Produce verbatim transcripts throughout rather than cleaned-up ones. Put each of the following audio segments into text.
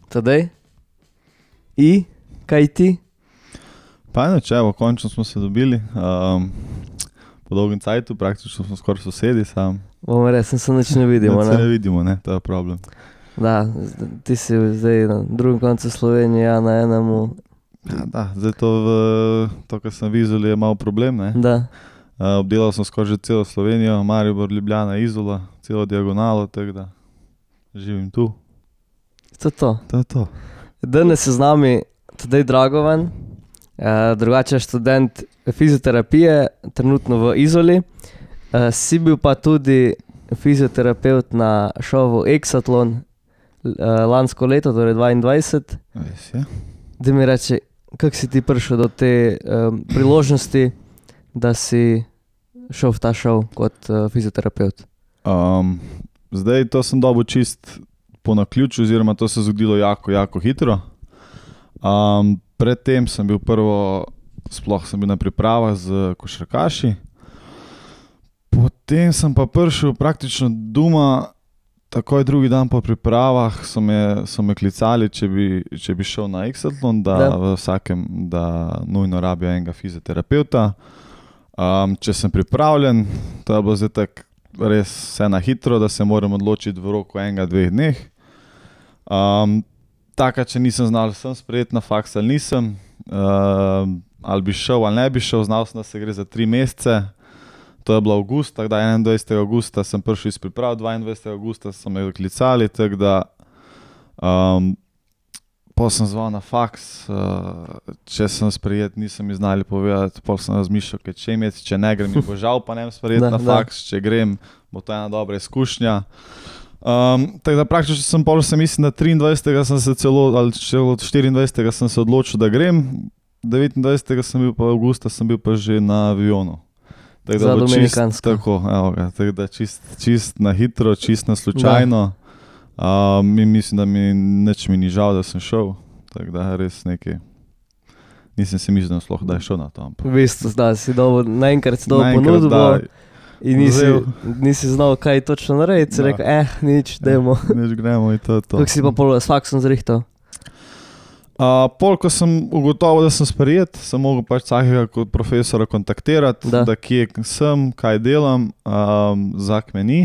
Tadej? I? Kaj ti? Pa eno, če, evo, končno smo se dobili. Um, po dolgem cajtu, praktično smo skoraj sosedi sam. Bomo resno se nič ne vidimo, Ne, ne? se ne vidimo, ne, to je problem. Da, ti si zdaj na drugem koncu Slovenije, ja na enemu. Ja, da, zdaj to, v, to kar sem v Izoli, je malo problem, ne. Da. Uh, obdelal sem skoraj že celo Slovenijo, Maribor, Ljubljana, Izola, celo diagonalo, tako da živim tu. To je to. To je to. Danes je z nami Tadej Dragovan, uh, drugače študent fizioterapije, trenutno v Izoli. Uh, si bil pa tudi fizioterapeut na šovu Exatlon uh, lansko leto, torej dvaindvajset. Res je. Da mi reči, kako si ti prišel do te um, priložnosti, da si šel v ta šov kot uh, fizioterapeut? Um, zdaj to sem dobil čist po naključju, oziroma to se je zgodilo jako, jako hitro. Um, predtem sem bil prvo, sploh sem bil na pripravah z košarkaši. Potem sem pa prišel praktično doma, takoj drugi dan po pripravah so me, so me klicali, če bi, če bi šel na Exatlon, da Da. v vsakem, da nujno rabijo enega fizioterapeuta. Um, če sem pripravljen, to je bilo zdaj tako res vse na hitro, da se moram odločiti v roku enega, dveh dneh. Um, taka, če nisem znal, sem sprejet na faks ali nisem, um, ali bi šel ali ne bi šel, znal sem, da se gre za tri mesece. To je bilo avgust, tako da enaindvajsetega avgusta sem prišel iz priprav, dvaindvajsetega avgusta so me klicali, tako da um, pol sem zval na faks, uh, če sem sprejet, nisem mi znali povedati, pol sem razmišljal, kaj če imeti, če ne grem, mi bo žal, pa ne sprejet Da, na da. faks, če grem, bo to ena dobra izkušnja. Um, tako da praktično sem pol, sem mislim, da triindvajsetega sem se celo, ali celo štiriindvajsetega sem se odločil, da grem, devetindvajsetega sem bil pa avgusta, sem bil pa že na avionu. Tako Za da bo čist, Dominikansko. tako, evo ga, tako da čist, čist na hitro, čist na slučajno. Um, in mislim, da mi nič mi ni žal, da sem šel, tako da res nekaj, nisem si mislil, da sploh da je šel na to. ampak V bistvu, da si dobil, naenkrat si dobil naenkrat, ponudbo da, in nisi, vzel. nisi znal, kaj točno narediti, si Da. rekel, eh, nič, dajmo. Nič gremo in to je to. Kako si pa pol s faksom zrihtal? Uh, pol, ko sem ugotovil, da sem sprejet, sem mogel pač vsakega kot profesora kontaktirati, Da. da, da kje sem, kaj delam, um, zak me ni.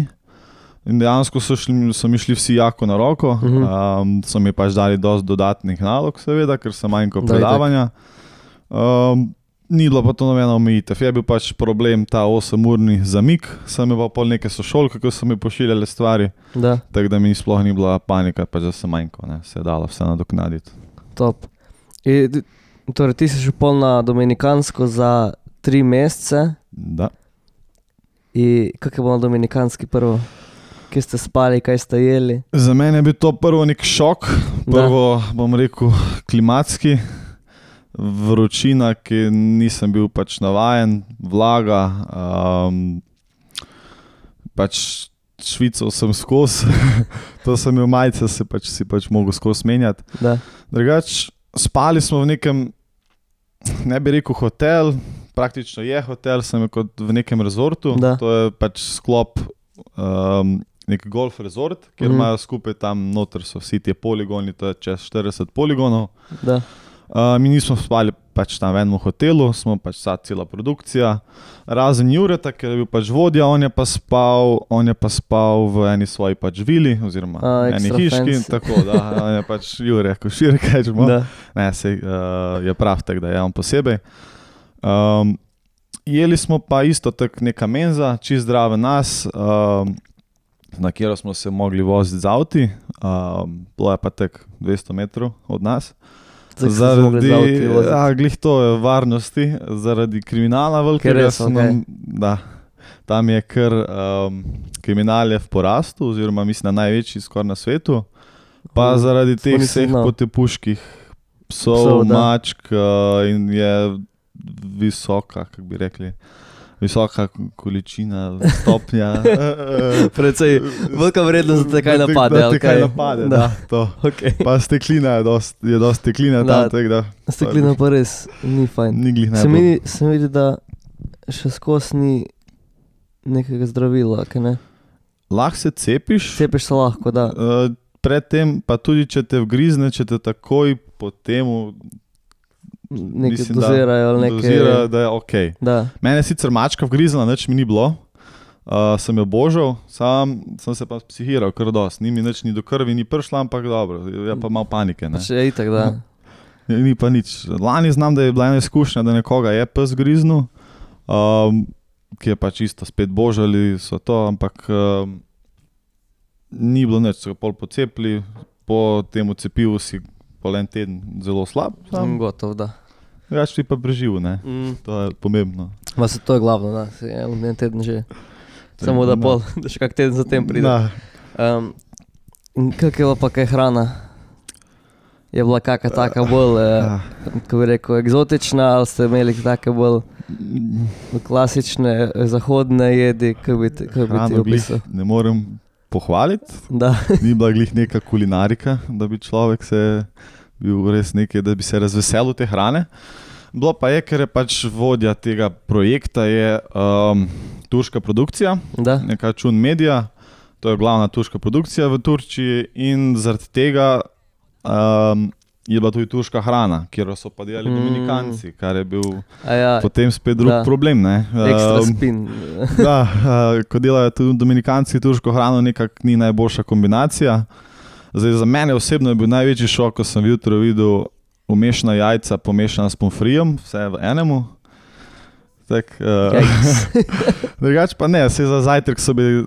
In dejansko so, šli, so mi šli vsi jako na roko, Mhm. um, so mi pač dali dosti dodatnih nalog, seveda, ker sem manjko Da, predavanja. Um, ni bilo pa to nobena omejitev, je bil pač problem ta osemurni zamik, sem imel pa pol neke sošolke, ko so mi pošiljali stvari, Da, tako da mi sploh ni bila panika, pač da sem manjko, ne, se je dalo vse nadoknaditi. top. I, d- torej, ti si šel pol na Dominikansko za tri mesece. Da. In kako je bilo na Dominikanski prvo? Kje ste spali, kaj ste jeli? Za mene je bil to prvo nek šok, prvo bom rekel klimatski, vročina, ki nisem bil pač navajen, vlaga, um, pač švical sem skozi, to sem imel majice, se pač, si pač mogel skozi menjati. Da, Drugač, spali smo v nekem, ne bi rekel hotel, praktično je hotel, sem je kot v nekem rezortu, Da. to je pač sklop um, nek golf rezort, kjer Mhm. imajo skupaj tam noter so vsi ti poligoni, to je čez štirideset poligonov. da, Uh, mi nismo spali pač tam v enem hotelu, smo pač vsa cela produkcija, razen Jureta, ker je bil pač vodja, on je pa spal, on je pa spal v eni svoji pač vili, oziroma A, eni extra hiški, fancy. tako da, on je pač Jure, Košir, kaj že da. Ne, sej, uh, je prav tak, da je on posebej. Um, jeli smo pa isto tak neka menza, čist zdrave nas, um, na katero smo se mogli voziti z avti, um, bilo je pa tak dvesto metrov od nas. Zdaj, ko ste se mogli z avti voziti. ja, glih to je varnosti, zaradi kriminala velikega. res, so okej. nam- Da, tam je kar um, kriminal je v porastu, oziroma mislim, da največji skoraj na svetu. Pa Mhm. zaradi To teh nisem vseh znal. potepuških psov, Psov, da. mačk uh, in je visoka, kako bi rekli, visoka količina, stopnja. Precej velika vrednost, da te kaj napade. Da ali te kaj kaj? napade, Da. da, to. Okay. Pa steklina je dost, je dost steklina Da. tam, tako da Steklina pa res ni fajn. ni glih Se najbolj. mi, se mi vidi, da še skozi ni nekega zdravila, kaj ne? Lahko se cepiš, Cepiš se lahko, da. uh, predtem, pa tudi če te vgrizne, če te takoj po temu Nekaj mislim, dozirajo ali nekaj. dozira, da je ok. Da. Mene je sicer mačka vgrizla, nič mi ni bilo. Uh, sem jo božal, sam sem se pa psihiral kar dosti. Ni mi nič, ni do krvi, ni prišla, ampak dobro, je pa malo panike. Ne? Če je itak, da. Ni pa nič. Lani znam, da je bila ena izkušnja, da nekoga je pes griznil, um, ki je pa čisto spet božali so to, ampak um, ni bilo nič, so ga pol pocepili, po temu cepivu si pol en teden zelo slab. Sam gotov, da. Drugače ti pa preživel, ne? Mm. To je pomembno. Ma se to je glavno, da. Si je en teden že. Samo da pol, da še kak teden zatem pride. Um, in kak je bila pa kaj hrana? Je bila kaka taka bolj, uh, kako bi rekel, eksotična, ali ste imeli take bolj klasične zahodne jedi, kako bi, kako bi ti opisal? Ne morem pohvaliti, da. Ni bila glih neka kulinarika, da bi človek se bil res nekaj, da bi se razveselil te hrane. Bilo pa je, ker je pač vodja tega projekta je um, turška produkcija, da. Neka Čun Media, to je glavna turška produkcija v Turčiji in zaradi tega um, je bila tudi turška hrana, kjer so pa delali mm. Dominikanci, kar je bil ja, potem spet drug da. Problem. Ne? Ekstra spin. Da, uh, ko delajo tudi Dominikanci turško hrano, nekak ni najboljša kombinacija. Zdaj, za mene osebno je bil največji šok, ko sem jutro videl umešana jajca pomešana s pomfrijem, vse v enemu. Tak, uh, drugač pa ne, vse za zajtrk so bili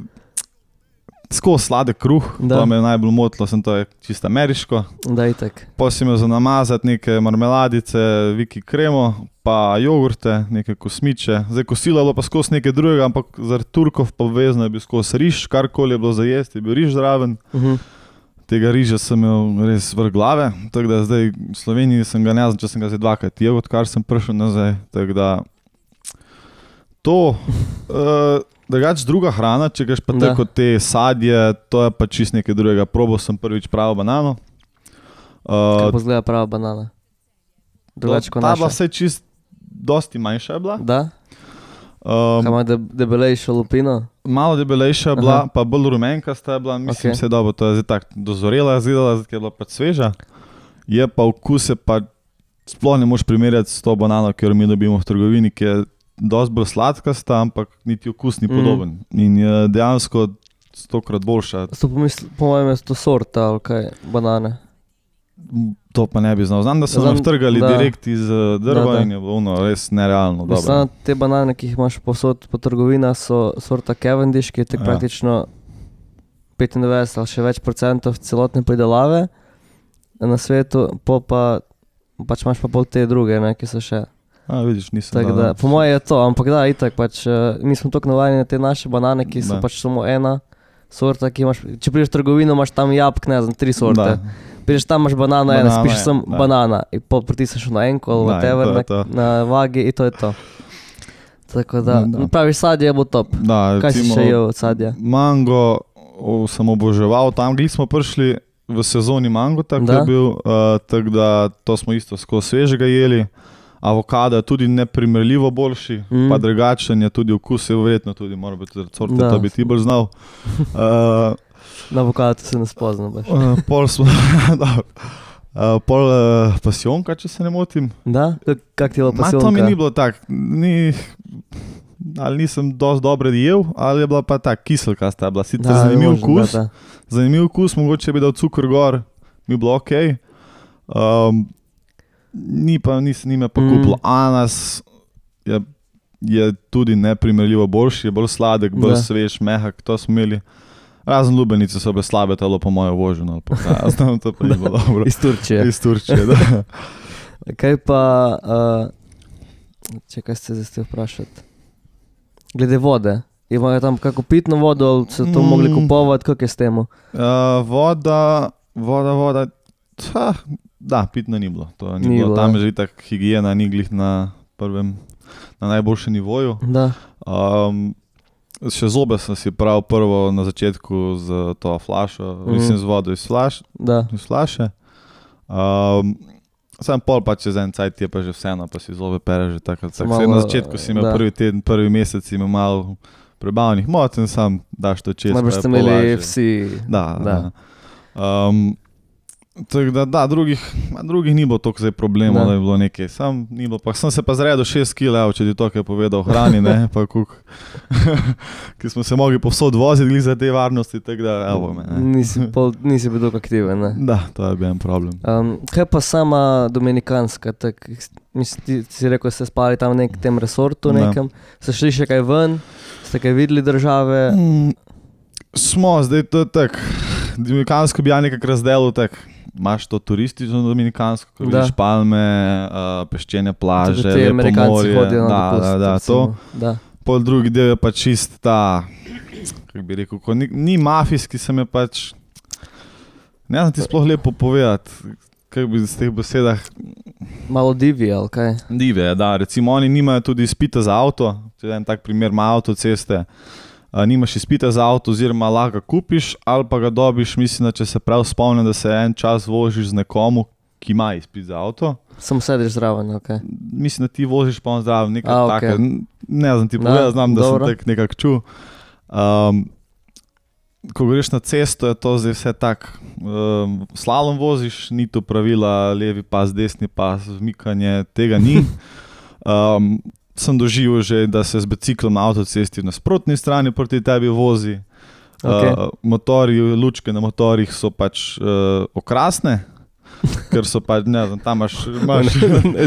skozi sladek kruh, da. To me je najbolj motilo, sem to je čisto ameriško. Da, itak. Potem sem jo za namazati neke marmeladice, viki kremo, pa jogurte, neke kosmiče. Zdaj kosilo je bilo pa skozi nekaj drugega, ampak zaradi Turkov pa obvezno je bil skozi riž, karkoli je bilo za jesti, je bil riž zraven. Uh-huh. Tega riža sem imel res vrh glave, tako da zdaj v Sloveniji sem ga ne znam, če sem ga zdaj dvakrat jedel, odkar sem prišel nazaj, tako da to, uh, drugač druga hrana, če gaš pa tako te sadje, to je pa čist nekaj drugega, probal sem prvič pravo banano. Uh, Kako izgleda prava banana? Drugač kot naša? Ta bila vse čist, dosti manjša je bila. Da? Um, Kaj ima de, debelejšo lupino? Malo debelejša je bila, pa bolj rumenkasta je bila, mislim okay. se dobro, to je zdaj tako dozorela, zidala, zdaj je bila pač sveža. Je pa okus je pa, sploh ne moš primerjati s to banano, ki jo mi dobimo v trgovini, ki je dosti bolj sladkasta, ampak niti okus ni podoben. Mm. In je dejansko stokrat boljša. Sto pomisl, po mojem je to sorta ali kaj, banane? To pa ne bi znal. Znam, da so nam vtrgali da. Direkt iz drva da, da. In je bilo ono res nerealno. Mislim, te banane, ki jih imaš posod po trgovina, so sorta Cavendish, ki je tek ja. Praktično petindevetdeset ali še več procentov celotne pridelave na svetu, pol pa pač imaš pa pol te druge, ne, ki so še. A, vidiš, nisem tak, da, da. Po moje je to, ampak da, itak pač, mi smo toliko navajeni na te naše banane, ki so da. Pač samo ena sorta, ki imaš, če prideš v trgovino, imaš tam jabk, ne znam, tri sorte. Da. Prideš tam, imaš banana, banana ena, spiš sem da. Banana in pol pritisneš na enko ali whatever, na, na vagi in to je to. Tako da, da. Praviš sadje je bo top. Da, kaj si še jel od sadja? Mango o, sem oboževal, tam gli smo prišli v sezoni mango, tako je bil, uh, tako da to smo isto skozi svežega jeli. Avokado je tudi neprimerljivo boljši, mm. pa drugačen je tudi okus, je verjetno tudi, mora biti sorte, da bi ti bolj znal. Uh, Na avokado se ne spoznam baš. Uh, pol smo, uh, pol uh, pasionka, če se ne motim. Da? Kak ti je bila pasionka? Ma to mi ni bilo tak, ni, ali nisem dosti dobro jel, ali je bila pa tak kiselka sta bila, sicer da, zanimiv okus, zanimiv okus, mogoče bi dal cukor gor, mi je bilo okej. Okay. Um, Ni pa, nis, ni me pa mm. kupilo. Anas je, je tudi neprimerljivo boljši, je bolj sladek, bolj da. Svež, mehak, to smo imeli. Razen lubenice so bile slabe, telo po mojo voženo, ali pa kaj, znam, to pa ni bilo dobro. Iz Turčije. Iz Turčije, da. Kaj pa, uh, če kaj ste zdaj ste vprašati? Glede vode, imajo tam kako pitno vodo, ali se to mm. mogli kupovati, kak je s temu? Uh, voda, voda, voda, ha, da, pitno ni bilo. To ni ni bilo. Bilo. Tam je že tak higijena, ni glih na prvem, na najboljšem nivoju. Da. Um, še zobe sem si prav prvo na začetku z to flašo, mm. mislim z vodo iz, flaš, iz flaše. Um, sem pol pa čez en cajt je pa že vseeno, pa si zobe pere že tako. Tak. Na začetku si imel prvi teden, prvi mesec si imel malo prebavnih mot in sam daš to čez. Najbolj ste imeli vsi. Da, da. Um, tako da, da, drugih, drugih ni bilo toliko zdaj problemov, Da. da je bilo nekaj. Sam, ni bilo, pa sem se pa zredil šest kilogramov, če ti to kaj povedal o hrani, ne, pa kuk, ki smo se mogli povsod voziti glih za te varnosti, tako da, evo me, ne. Nisi, pol, nisi bil tako aktiven, ne? Da, to je bil en problem. Um, kaj pa sama dominikanska, tak, mislim, ti ti si rekel, ste spali tam v nekem tem resortu Da. nekem, ste šli še kaj ven, ste kaj videli države? Mm, smo, zdaj to je tak, dominikansko bi ja nekako razdelil tak, imaš to turistično dominikansko, ko Da. vidiš palme, uh, peščene plaže, Tudi ti lepo Amerikanci morje, hodijo na da, dopust, da, da, to. recimo. Da. Pol drugi del je pa čist ta, kako bi rekel, ko ni, ni mafijski, sem je pač, ne znam ti sploh lepo povedati, kako bi z teh besedah, Malo divji, ali kaj? dive, da, recimo oni nimajo tudi izpita za avto, če en tak primer ima avtoceste, a, nimaš izpita za avto oziroma lahko ga kupiš ali pa ga dobiš, mislim, da če se prav spomnim, da se en čas voziš z nekomu, ki ima izpit za avto. Samo sediš zraven, ok. Mislim, da ti voziš pa on zdrav, nekaj A, okay. okej. Take, ne znam ti Da, povedati, znam, da dobro. sem tak nekako čul. Um, ko greš na cesto, je to zdaj vse tak, um, slalom voziš, ni to pravila, levi pas, desni pas, vmikanje, tega ni. Um, sem doživel že, da se z biciklom na avtocesti na nasprotni strani proti tebi vozi. Okay. Uh, motorji, lučke na motorjih so pač uh, okrasne, ker so pač, ne znam, tam imaš... imaš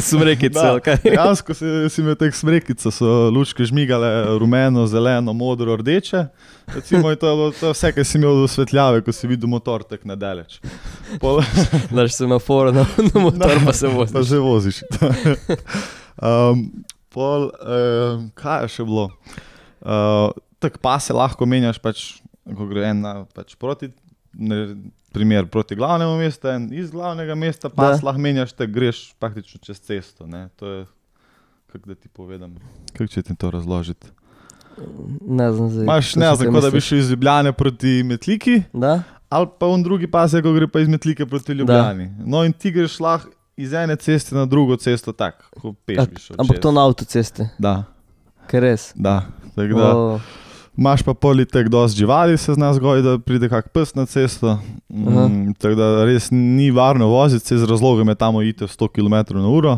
Smrekice, Da, ali kaj? dejansko si, si imel teh smrekica, so lučke žmigale rumeno, zeleno, modro, rdeče. Recimo, to je bilo to je vse, kar si imel do svetljave, ko si videl motor tak nadaleč. Pol, Daš semafor na, na motor, pa se pa voziš. že voziš. um, pol, um, kaj je še bilo? Uh, tak pase lahko menjaš, pač, ko gre en na, pač proti, ne, primer proti glavnemu mestu, en iz glavnega mesta, pas lahko menjaš, te greš praktično čez cesto. Ne? To je, kako da ti povedam, kako če ti to razložiti. Ne znam zdaj. Imaš, kaj ne si znam, te kot da bi misliš. šel iz Ljubljane proti Metliki, Da? ali pa on drugi pas je, ko gre pa iz Metlike proti Ljubljani. No in ti greš lahko iz ene ceste na drugo cesto tak, ko peš bi šel Ampak čez. to na avtocesti, Da, ker res. da. Tako da, O, imaš pa politek dosti živali, se zna zgodi, da pride kak pes na cesto. Mm, tako da res ni varno voziti, se z razlogom je tam ite sto kilometrov na uro.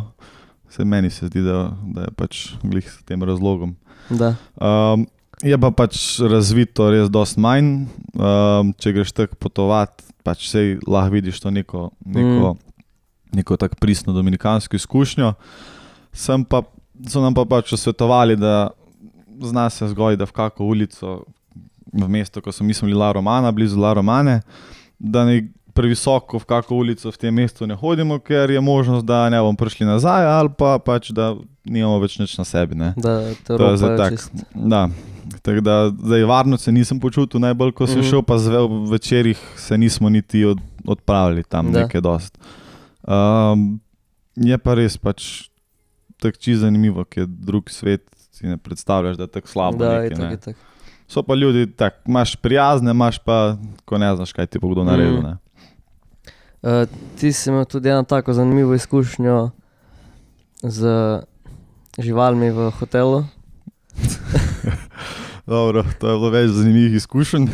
Se meni se zdi, da, da je pač glih s tem razlogom. da. Um, je pa pač razvito res dosti manj. Um, če greš tako potovati, pač sej lahko vidiš to neko, neko, mm. neko tako pristno dominikansko izkušnjo. Sem pa, so nam pa pač svetovali, da zna se zgodi, da v kako ulico v mesto, ko so mislili La Romana, blizu La Romane, da ne previsoko v kako ulico v tem mestu ne hodimo, ker je možnost, da ne bomo prišli nazaj ali pa pač, da nimamo več nič na sebi. Ne. Da te To je zdaj ropajo tak, čist. da. Tako da zdaj varno se nisem počutil najbolj, ko sem Mhm. šel, pa zve, v večerih se nismo niti od, odpravili tam Da. nekaj dost. Um, je pa res pač tako čisto zanimivo, ker drug svet si ne predstavljaš, da je tako slabo Da, nekaj, itak, ne. itak. So pa ljudi tak, imaš prijazne, imaš pa, ko ne znaš, kaj ti bo kdo naredil. Mhm. Ne. Uh, ti si imel tudi eno tako zanimivo izkušnjo z živalmi v hotelu. Dobro, to je bilo več zanimivih izkušenj.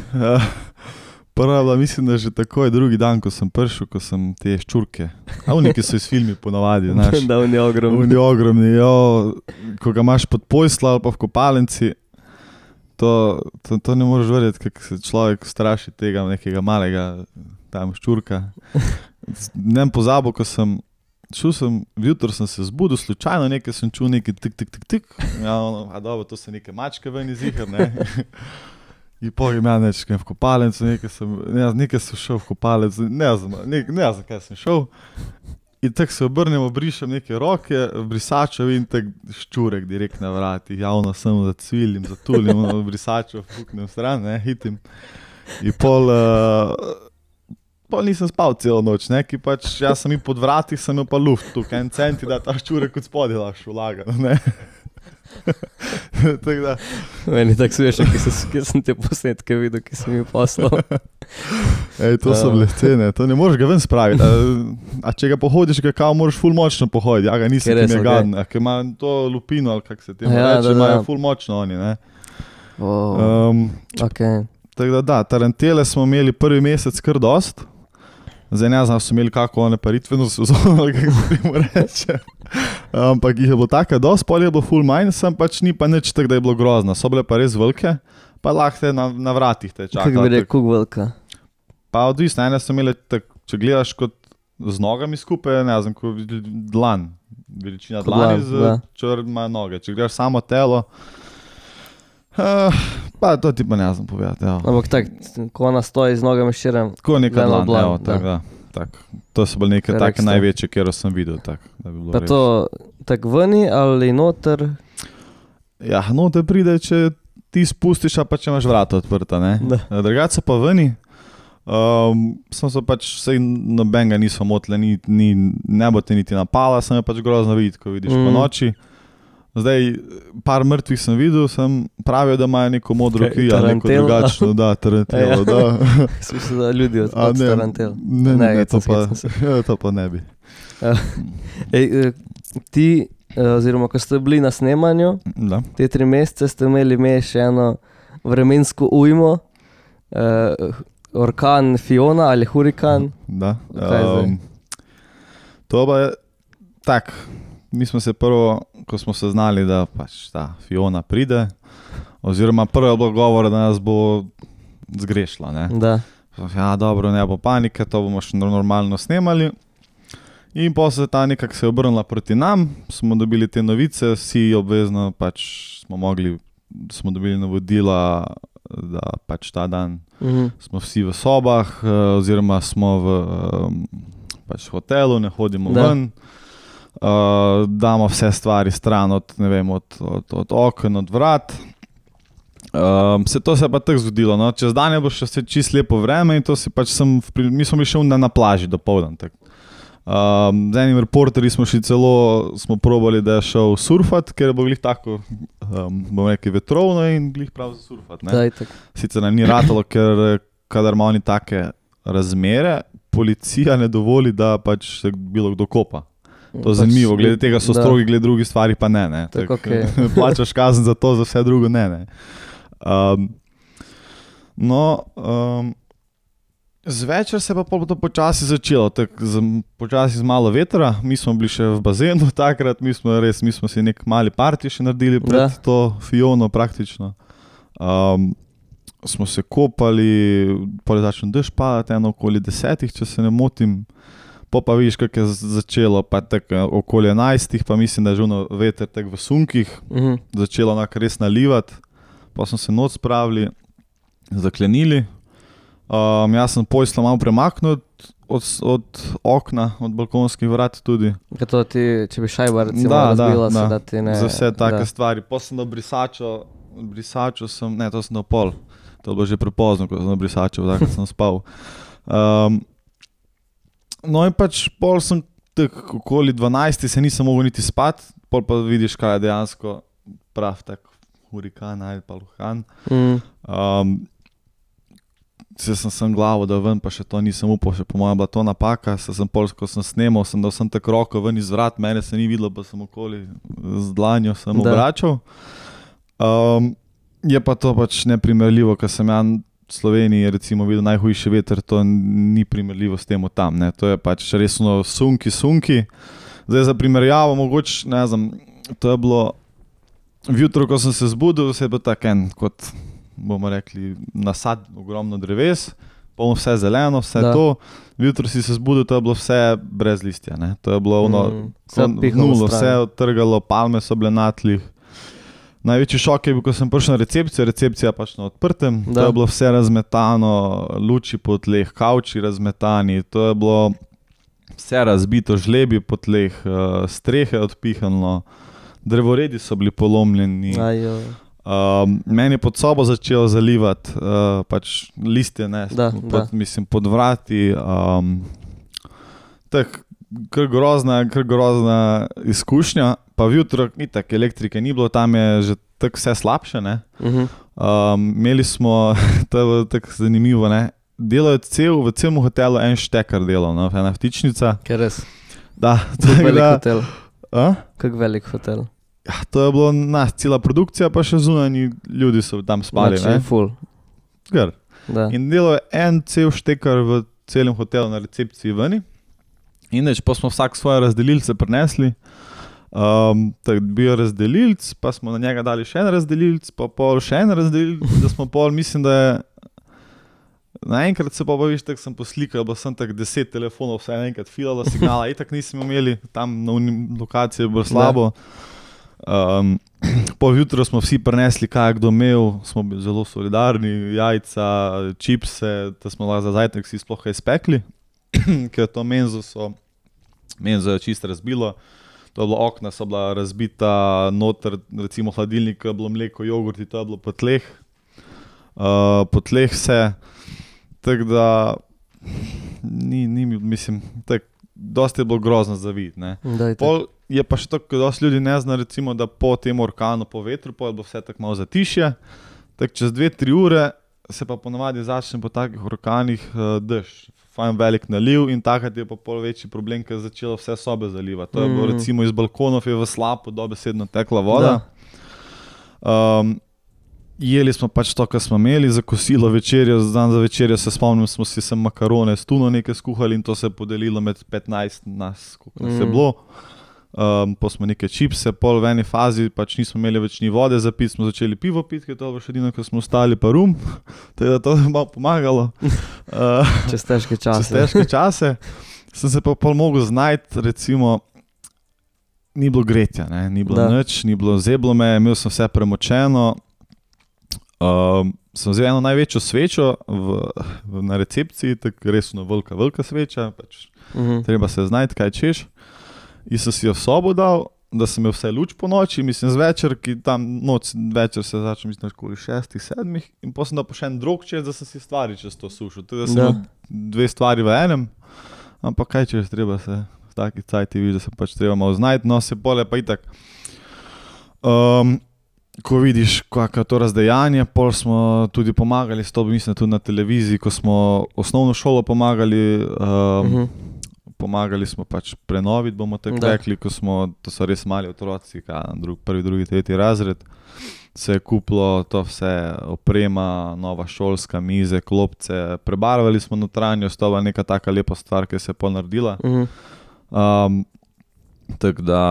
Prva je bila, mislim, da že takoj drugi dan, ko sem prišel, ko sem te ščurke. A oni, ki so iz filmi ponavadi, znaš. Da, on je ogromni. Oni ogromni, jo, ko ga imaš pod pojslo ali pa v kopalnici, to, to, to ne moreš verjeti, kako se človek straši tega nekega malega tam ščurka. Ne vem pozabo, ko sem šel sem, vjutro sem se zbudil, slučajno nekaj sem čul, nekaj tik, tik, tik, tik. Ja, ono, a dobro, to so neke mačke ven iz ihar, ne. In potem ja nečkaj v kopalnico, nekaj sem, ne, nekaj sem šel v kopalnico, ne znam, ne, ne znam, kaj sem šel. In tako se obrnem, obrišem neke roke, brisačev in tak ščurek direkt na vrati, javno sem zacvilim, zatulim, brisačev fuknem stran, ne, hitim. In pol, uh, pol nisem spal celo noč, ne, ki pač, jaz sem in pod vratih, sem imel pa luft tukaj, en centi, da ta ščurek kot spodaj lahko vlaga, ne. Tako da, Meni tako smešno, ki, ki sem te posnetke videl, ki sem jih poslal. ej, to so bile scene, to ne moreš ga ven spraviti. A, a če ga pohodiš, ga kao moraš ful močno pohoditi, ja ga nisem, Ker ki res, mi je okej. gaden, a ki ima to lupino, ali kak se temu Ja, reče, da, imajo da. ful močno oni, ne. Oh, Um, okay. tako da da, tarantele smo imeli prvi mesec kar dost, Zdaj ne znam, so imeli kako one paritveno sezono, ali kako se temu reče. Ampak jih je bilo tako, dosti pol je bilo full manj, sem pač ni pa nič tako, da je bilo grozno. So bile pa res velike, pa lahko te na, na vratih te čaka. Kako bi rekel, kako velika? Pa odvisno, ene so imeli tak, če gledaš kot z nogami skupaj, ne znam, kot dlan, veličina dlani z črma noge. Če gledaš samo telo, uh, pa to ti pa ne znam povedati. Ja. Ampak tako, ko ona stoji z nogami širem. Ko neka dlan, dlan, evo, tak, da. Tak. To so bile neke take največje, kjer sem videl. Tak, da bi bilo pa res. to tako veni ali noter? Ja, noter pride, če ti spustiš, a pa če imaš vrata odprta, ne? Drugače pa veni. Um, sem se pač, sej nobenega niso motile, ni, ni, ne bo te niti napala, sem je pač grozno videti, ko vidiš mm. po noči. Zdaj, par mrtvih sem videl, sem pravijo, da imajo neko modro kri, ali neko drugačno, da, tarantelo, da. Smisel, da ljudi od, od ne, tarantel. Ne, ne, ne to, pa, ja, to pa ne bi. Ej, ti, oziroma, ko ste bili na snemanju, da. Te tri mesece ste imeli me še eno vremensko ujmo, uh, orkan Fiona ali hurikan. Da. Um, to pa je tak, mi smo se prvo, ko smo se znali, da pač ta Fiona pride, oziroma prvo je bilo govora, da nas bo zgrešila, ne. Da. Ja, dobro, ne bo panike, to bomo še normalno snemali. In potem se ta nekako se je obrnila proti nam, smo dobili te novice, vsi obvezno pač smo mogli, smo dobili navodila, da pač ta dan mm-hmm. smo vsi v sobah, oziroma smo v pač hotelu, ne hodimo da. ven, uh, damo vse stvari stran od, ne vem, od, od, od oken, od vrat. Um, se to se je pa tako zgodilo, no? Čez dan je bilo še čist lepo vreme in to si pač sem, mi smo bili še na, na plaži dopoldan. Um, z enim reporterji smo šli celo, smo probali, da je šel surfat, ker bo glih tako, um, bom rekel, vetrovno in glih prav za surfat. Ne? Sicer nam ni ratalo, ker kadar ima oni take razmere, policija ne dovoli, da pač se bilo kdo kopa. To je zanimivo, glede tega so strogi, glede drugih stvari pa ne. ne. Tak, tak, okay. Plačaš kazen za to, za vse drugo ne. ne. Um, no, um, zvečer se pa to počasi začelo, tak, z, počasi z malo vetra, mi smo bili še v bazenu takrat, mi smo res, mi smo si nek mali party še naredili pred da. to Fiono praktično. Um, smo se kopali, pol je začel dež padati, eno okoli desetih, če se ne motim, po pa vidiš, kak je začelo, pa tak okoli enajstih, pa mislim, da je že veter tak v sunkih, mm-hmm. začelo onak res nalivati. Pa smo se noč spravili, zaklenili. Um, jaz sem pojslo malo premaknil od, od okna, od balkonskih vrat tudi. To ti, če bi šajba recimo da, razbila, da, se, da ti ne... Za vse take da. stvari. Pa sem do brisačo, brisačo sem, ne, to sem do pol. To je bilo že prepozno, ko sem do brisačo, tako sem spal. Um, no in pač pol sem tak okoli dvanajsti, se nisem mogel niti spat, pol pa vidiš, kaj je dejansko prav tak hurikan ali pa luhan. Mm. Um, se sem sem glavo, da ven, pa še to nisem upal, še po mojem bila to napaka, se sem pol, ko sem snemal, sem dal sem tak roko ven iz vrat, mene se ni videlo, pa sem okoli z dlanjo sem obračal. Um, je pa to pač neprimerljivo, ker sem ja v Sloveniji recimo videl najhujši veter, to ni primerljivo s temu tam, ne, to je pač resno sunki, sunki. Zdaj za primerjavo, mogoče, ne znam, to je bilo vjutro, ko sem se zbudil, se je bil tak en, kot bomo rekli, nasad, ogromno dreves, polno vse zeleno, vse da. to. Vjutro si se zbudil, to je bilo vse brez listja, ne. To je bilo ono, mm, nulo, vse odtrgalo, palme so bile na tlih. Največji šok je bil, ko sem prišel na recepcijo, recepcija pač na odprtem, da. To je bilo vse razmetano, luči po tleh, kavči razmetani, to je bilo vse razbito, žlebi po tleh, strehe odpihano, drevoredi so bili polomljeni. Um, meni je pod sobo začelo zalivati uh, pač listje, ne, da, pod, da. mislim, pod vrati. Um, tak, kar grozna, kar grozna izkušnja, pa vjutro, ni tak, elektrike ni bilo, tam je že tako vse slabše, ne. Uh-huh. Um, imeli smo, to je bilo tako zanimivo, ne, delajo cel, v celem hotelu en štekar delal, no, ena vtičnica. Kaj res? Da. Kak velik da, hotel? A? Kak velik hotel? Ja, to je bilo nas, cela produkcija, pa še zunanji ljudi so tam spali. Znači, full. Gr. In delal je en cel štekar v celem hotelu na recepciji veni. In neč, pa smo vsak svoje razdelilce prinesli. Um, tako bil razdelilc, pa smo na njega dali še en razdelilc, pa pol še en razdelilc, da smo pol, mislim, da je naenkrat se pa pa viš, tako sem poslikal, bo sem tako deset telefonov vse naenkrat filalo signala, itak nismo imeli, tam na lokaciji je bilo slabo. Um, po jutro smo vsi prinesli, kaj je kdo imel, smo bili zelo solidarni, jajca, čipse, da smo lahko za zajtrk si sploh kaj spekli, ker to menzo so, menzo je čisto razbilo, to je bilo okna, so bila razbita, noter recimo hladilnik, je bilo mleko, jogurti, to je bilo po tleh, uh, po tleh vse, tako da ni, ni, mislim, tako, dosti je bilo grozno za videti, ne. Pol je pa še tako, dosti ljudi ne zna, recimo, da po tem orkanu, po vetru, pol bo vse tako malo zatišje, tako čez dve, tri ure se pa ponavadi začne po takih orkanih uh, dež, fajn velik naliv in takrat je pa pol večji problem, ker je začelo vse sobe zalivati. To je bilo, recimo, iz balkonov je v slapu dobesedno tekla voda. Um, jeli smo pač to, kar smo imeli, za kosilo večerjo, dan za večerjo se spomnim, smo si sem makarone s tuno nekaj skuhali in to se je podelilo med petnajst nas, koliko nas je bilo. Um, pa smo neke čipse, pol v eni fazi, pač nismo imeli več ni vode za piti, smo začeli pivo piti, ker to je še edino, ko smo ostali, pa rum, tako da to je malo pomagalo. Uh, čez težke čase. Čez težke čase. Sem se pa pol mogel znajti, recimo, ni bilo gretja, ne? Ni bilo nič, ni bilo zeblo me, imel sem vse premočeno. Um, sem vzel eno največjo svečo v, v, na recepciji, tako resno velika, velika sveča, pač uh-huh. treba se znajti, kaj češ. In sem si jo v sobo dal, da sem imel vse luč po noči, mislim zvečer, ki tam noč večer se začel, mislim, okoli šestih, sedmih, in potem sem dal pa še en drug čez, da sem si stvari čez to sušil. Tako da sem imel dve stvari v enem, ampak kaj češ, treba se v taki cajti viš, da se pač treba malo znajti, no se pole pa itak. Um, ko vidiš, kako je to razdejanje, pol smo tudi pomagali s to, mislim, tudi na televiziji, ko smo osnovno šolo pomagali, um, uh-huh. pomagali smo pač prenoviti, bomo tako rekli, ko smo, to so res mali otroci, drug, prvi, drugi, tretji razred, se je kupilo to vse, oprema, nova šolska, mize, klopce, prebarvali smo notranjost, to je neka taka lepa stvar, ki se je pol naredila. Uh-huh. Um, tako da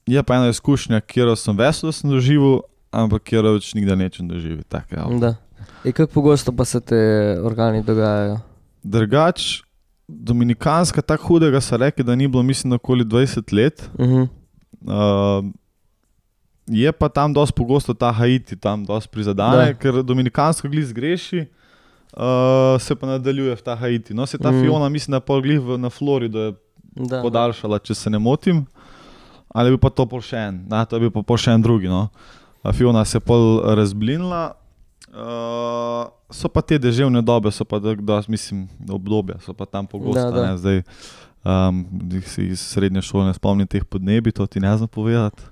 je pa ena izkušnja, kjer sem vesel, da sem doživel, ampak kjer več nikdar nečem doživi. Tak, ja. Da. In kako pogosto pa se te organi dogajajo? Drugač, Dominikanska, tako hudega so rekli, da ni bilo, mislim, okoli dvajset let. Uh-huh. Uh, je pa tam dosti pogosto ta Haiti, tam dosti prizadane, da. Ker Dominikansko glih zgreši, uh, se pa nadaljuje v ta Haiti. No, se ta uh-huh. Fiona, mislim, da pol glih v, na Florido je da, podaljšala, da. Če se ne motim. Ali je bil pa to pol še en, da, to je bil pa pol še en drugi, no. A Fiona se je pol razblinila. Uh, so pa te deževne dobe, so pa, da, da, mislim, obdobja, so pa tam pogosta, da, da. Ne, zdaj um, si iz srednje šole ne spomnim teh podnebi, to ti ne znam povedati.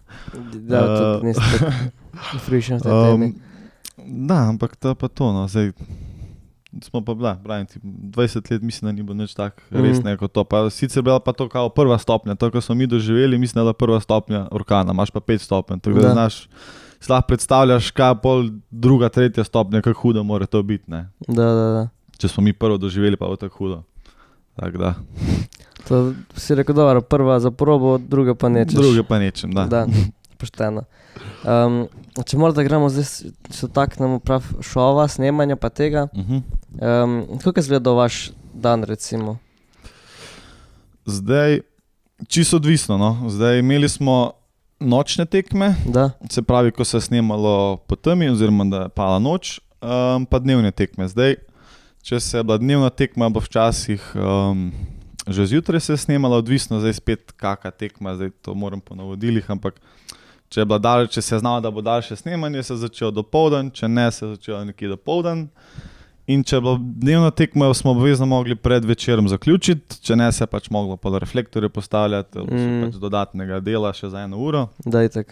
Da, uh, tudi niste tako frišen v tej temi. Um, da, ampak to pa to, no, zdaj smo pa, da, pravim ti, dvajset let mislim, da ni bilo nič tak res mm. neko to, pa sicer bila pa to kao prva stopnja, to, ko smo mi doživeli, mislim, da je prva stopnja orkana, imaš pa pet stopenj, tako da, da znaš, si lahko predstavljaš, kaj pol druga, tretja stopnja, kako hudo mora to biti, ne. Da, da, da. Če smo mi prvo doživeli, pa bo tako hudo. Tak da. To si rekel, dobro, prva za probo, druga pa nečeš. Druga pa nečem, da. Da, pošteno. Um, če morda gremo zdaj, se taknemo prav šova, snemanja pa tega, uh-huh. um, kako je izgledal vaš dan, recimo? Zdaj, čisto odvisno, no. Zdaj imeli smo nočne tekme, da. Se pravi, ko se je snemalo po temi, oziroma da je pala noč, um, pa dnevne tekme. Zdaj, če se je bila dnevna tekma, bo včasih um, že zjutraj se je snemala, odvisno zdaj spet kaka tekma, zdaj to moram po navodilih, ampak če je bila dalj, če se je znalo, da bo daljše snemanje, se je začelo dopoldan, če ne, se je začelo nekje dopoldan. In če je bilo dnevno tekmo, smo obvezno mogli pred večerom zaključiti, če ne, se je pač moglo pod reflektorje postavljati, mm. pač dodatnega dela še za eno uro. Da, itak.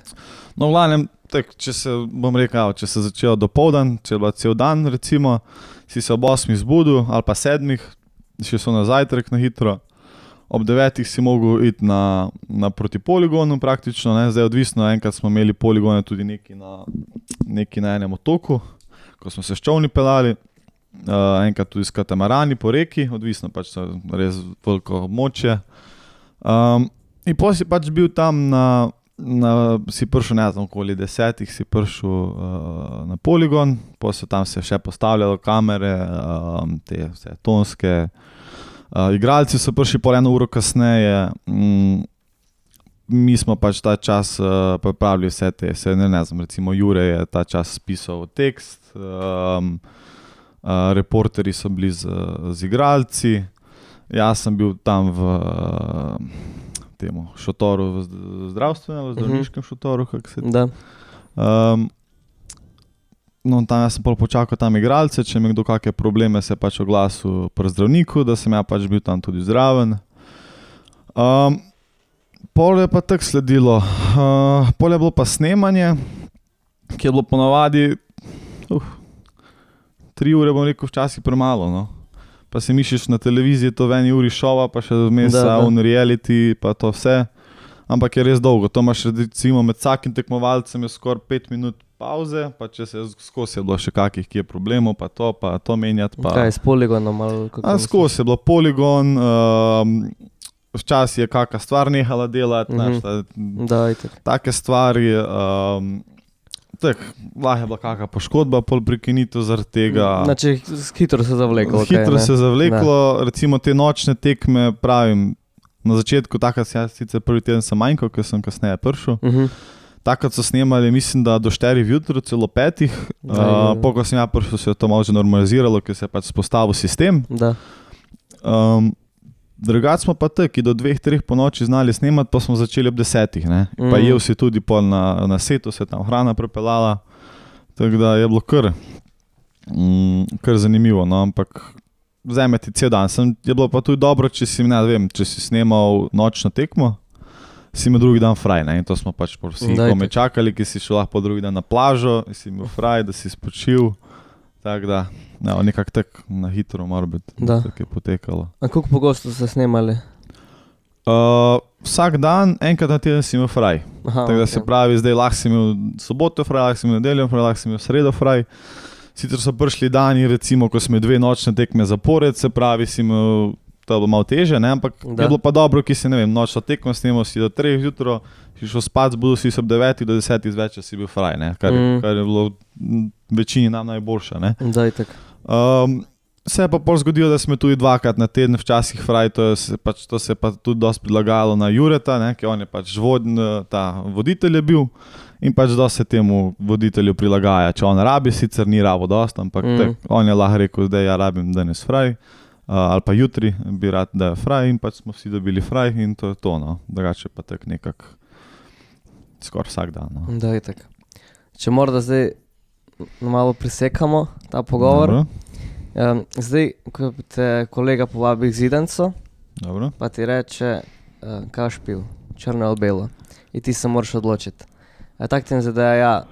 No, v glavnem, tak, če se, bom rekel, če se začelo dopoldan, če je bila cel dan, recimo, si se ob osmih zbudil ali pa sedmih, še so na zajtrk na hitro, ob devetih si mogel iti na, na proti poligonu praktično, ne? Zdaj odvisno, enkrat smo imeli poligone tudi neki na, neki na enem otoku, ko smo se s čovni pelali. uh, enkrat tudi s katamarani po reki, odvisno pač so res veliko območje. Um, in potem si pač bil tam na, na si prišel, ne znam, okoli desetih si prišel uh, na poligon, potem so tam se še postavljalo kamere, um, te vse tonske, uh, igralci so prišli pol eno uro kasneje, um, mi smo pač ta čas uh, pripravili vse te, se ne, ne znam, recimo Jure je ta čas spisal tekst, um, uh, reporteri so bili z, z igralci, jaz sem bil tam v uh, temu šotoru, v zdravstvenem, v zdravniškem šotoru, kako se Da. Um, no, tam jaz sem pol počakal tam igralce, če mi kdo kakšne probleme se pač oglasil pri zdravniku, da sem ja pač bil tam tudi zraven. Um, Pol je pa tako sledilo, uh, pol je bilo pa snemanje, ki je bilo ponavadi, uh, tri ure, bom rekel, včasih premalo, no. Pa se mišliš na televiziji, to v eni uri šova, pa še vmes on reality, pa to vse, ampak je res dolgo. To imaš recimo med vsakim tekmovalcem je skoraj pet minut pauze, pa če se skozi je bilo še kakih, ki je problemov, pa to, pa to menjati. Pa... Kaj, s poligonom? Ali kako A, skozi je bilo poligon, um, včasih je kakšna stvar nehala delati, Mhm. mm-hmm. Da, itak. take stvari, um, tak, lahko je bila kakšna poškodba, pol prekinitev zaradi tega. Znači, hitro se zavleklo. Hitro kaj, se zavleklo, recimo te nočne tekme, pravim, na začetku, takrat si jaz sicer prvi teden sem manjkal, ker sem kasneje prišel. Uh-huh. Takrat so snemali, mislim, da do štirih jutro, celo petih. Uh, po ko sem ja prišel, se je to malo že normaliziralo, ker se je pač spostavil sistem. Da. Um, Drugače smo pa taki, do dveh, treh po noči znali snemati, pa smo začeli ob desetih, ne. Mm. Pa jel si tudi pol na, na setu, se tam hrana prepeljala, tako da je bilo kar, mm, kar zanimivo, no, ampak vzeme ti cel dan. Sem, je bilo pa tudi dobro, če si, ne vem, če si snemal nočno tekmo, si imel drugi dan fraj, ne, in to smo pač vsi kome čakali, ki si šel lahko drugi dan na plažo, in si imel fraj, da si spočil, tako da, no, nekako tako na hitro mora biti, tako je potekalo. A koliko pogosto ste snemali? Uh, vsak dan, enkrat na teden si imel fraj. Aha, tako da okay. Se pravi, zdaj lahko si imel soboto fraj, lahko si imel nedeljo fraj, lahko si imel sredo fraj. Sicer so prišli dani, recimo, ko smo dve nočne tekme zapored, se pravi, si imel, to je bilo malo teže, ne, ampak da. Je bilo pa dobro, ki si, ne vem, nočno tekmo snemal si do treh jutro, si šel spat, zbudil si se ob devetih do desetih zvečer si bil fraj, ne, kar, mm. kar je bilo večini nam najboljša, ne. Da, itak. Um, se je pa pol zgodilo, da smo tudi dvakrat na teden včasih fraj, to, je, pač, to se je pa tudi dosti prilagajalo na Jureta, ne, ker on je pač vodn, ta voditelj je bil in pač dosti se temu voditelju prilagaja, če on rabi, sicer ni rabo dosti, ampak mm. tak, on je lahko rekel, da ja rabim danes fraj, uh, ali pa jutri bi rad, da je fraj in pač smo vsi dobili fraj in to je to, no, drugače pa tak nekak skoraj vsak dan, no. Da, itak. Če morda zdaj malo prisekamo ta pogovor. Um, zdaj, ko te kolega povabi k zidancu, Dobro. Pa ti reče, uh, kaj boš pil, črno ali belo, in ti se moraš odločiti. A tak ti je ja,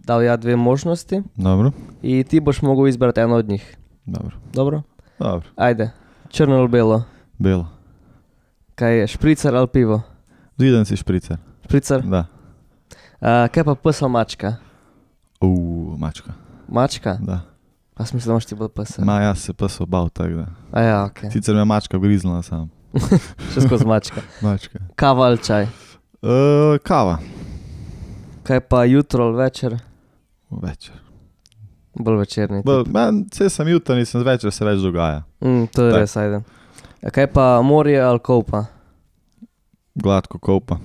dal ja dve možnosti. Dobro. In ti boš mogel izbrati eno od njih. Dobro. Dobro? Dobro. Ajde, črno ali belo? Belo. Kaj je, špricer ali pivo? Zidanc je špricer. Špricer? Da. Uh, kaj pa pes ali mačka? Uuu, mačka. Mačka? Da. Pa sem mislil, da moš ti bolj pesa. Ma, jaz se pes obal, tako da. A ja, okej. Okay. Sicer me mačka griznila sam. Še skozi mačka. Mačka. Kava ali čaj? Uh, kava. Kaj pa jutro ali večer? Večer. Bolj večerni. Vse sem jutro, nisem zvečer, se več dogaja. Mm, to je tak. Res, ajde. A kaj pa morje ali kopa? Gladko kopa.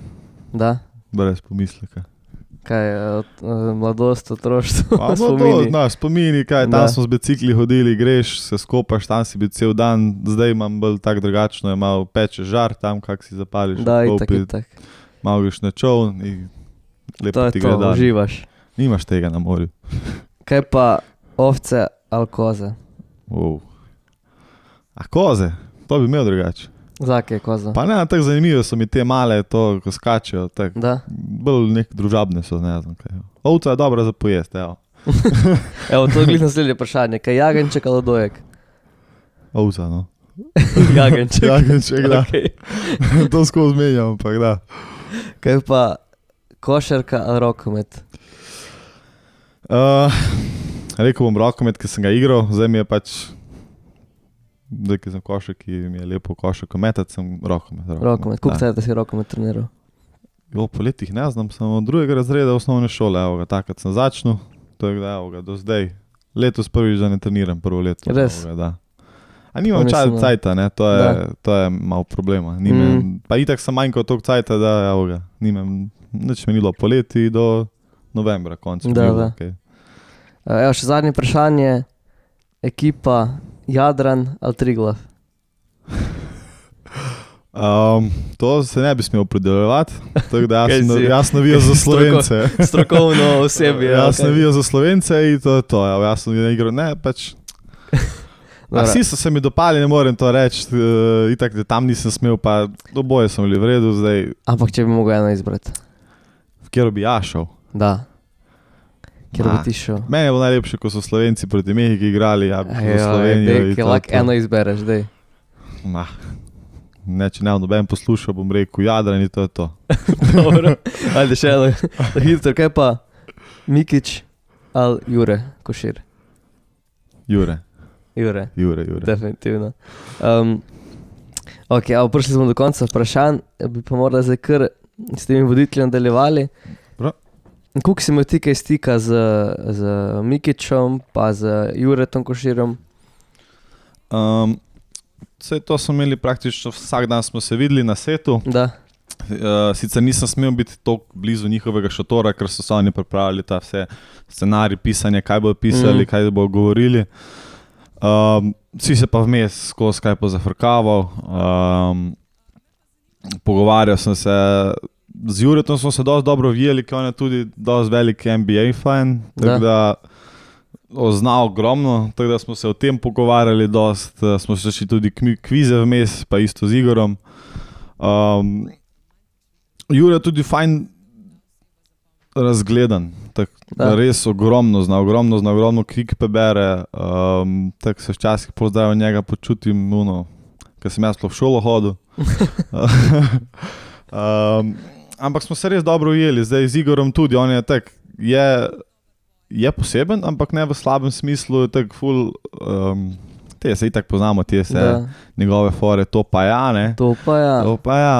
Da? Brez pomisleka. Kaj, mladost, otroštvo, no, spomini? No, spomini, kaj, tam smo z bicikli hodili, greš, se skopaš, tam si bil cel dan, zdaj imam bolj tak drugačno, je malo peče žar tam, kak si zapališ. Da, itak, itak. Malo greš na čovn in lepo ti gre dan. To je to, uživaš. Nimaš tega na morju. Kaj pa ovce ali koze? Wow. A koze? To bi imel drugače. Zake je koza? Pa ne, tako zanimivo so mi te male, to, ko skačejo, tako. Da? Bolj nek družabne so, ne znam kaj. Ovca je dobra za pojest, evo. Evo, to je glih naslednje vprašanje. Kaj jagenček ali dojek? Ovca, no. Jagenček. Jagenček, da. Okay. To skozi menjam, ampak da. Kaj pa košarka ali rokomet? Uh, rekel bom rokomet, ki sem ga igral, zdaj mi je pač, zdaj, ki sem košek, ki mi je lepo košek metati, sem rokomet. Rokomet, koliko cajta si rokomet treniral? Jo, po letih ne znam, sem od drugega razreda osnovne šole, evo ga, takrat sem začnil, to je da, evo ga, do zdaj. Letos prvič, da ne treniram prvo leto. Res? Evo ga, da. A nimam čaj cajta, ne, to je, to je malo problema. Nime, mm. Pa itak sem manjkal toliko cajta, da, evo ga, nimam, nič me nilo po leti do novembra, konca. Da, da. Okay. Evo, še zadnje vprašanje, ekipa Jadran ali Triglav? Um, to se ne bi smel predeljevati, tako da jaz, na, jaz navijam za Slovence. Stroko, strokovno osebje. Jaz okay. navijam za Slovence in to je to, jaz sem igral, ne, pač. A vsi so se mi dopali, ne morem to reči, uh, itak, da tam nisem smel, pa oboje sem bili v redu zdaj. Ampak če bi mogel eno izbrati? V kjer bi ja šel? Da. Kjer Ma, bi ti šel? Meni je bilo najlepše, ko so Slovenci proti Mehiki igrali, ja bi šel v Slovenijo. Dej, ki lahko eno izbereš, dej. Ma, ne, če ne noben poslušal, bom rekel Jadran in to je to. Dobro, ajde še eno. Hitro, kaj pa Mikić ali Jure Košir? Jure. Jure. Jure, Jure. Definitivno. Um, ok, a prišli smo do konca vprašanj, bi pa morali zdaj kar s temi voditelji nadaljevali. Koliko si imel ti kaj stika z, z Mikićem, pa z Juretom Koširom? Um, vse to smo imeli praktično vsak dan smo se videli na setu. Da. Uh, sicer nisem smel biti toliko blizu njihovega šatora, ker so se oni pripravili ta vse scenarij, pisanje, kaj bodo pisali, mm. kaj bodo govorili. Um, vsi se pa vmes skozi kaj pozafrkaval. Um, pogovarjal sem se, z Juretom smo se dosti dobro vijeli, ker on je tudi dosti velik N B A fan, tako da, da znal ogromno, tako da smo se o tem pogovarjali dosti, smo se še tudi kvize vmes, pa isto z Igorom. Um, Jure je tudi fajn razgledan, tako res ogromno zna, ogromno zna, ogromno knjig prebere, um, tako se včasih pozdravim njega, počutim, no, ker sem jaz v šolo hodil. um, ampak smo se res dobro ujeli, zdaj z Igorom tudi, on je tak, je, je poseben, ampak ne v slabem smislu, je tak ful, um, te se itak poznamo, te se da. Njegove fore, to pa ja, ne? To pa ja. To pa ja,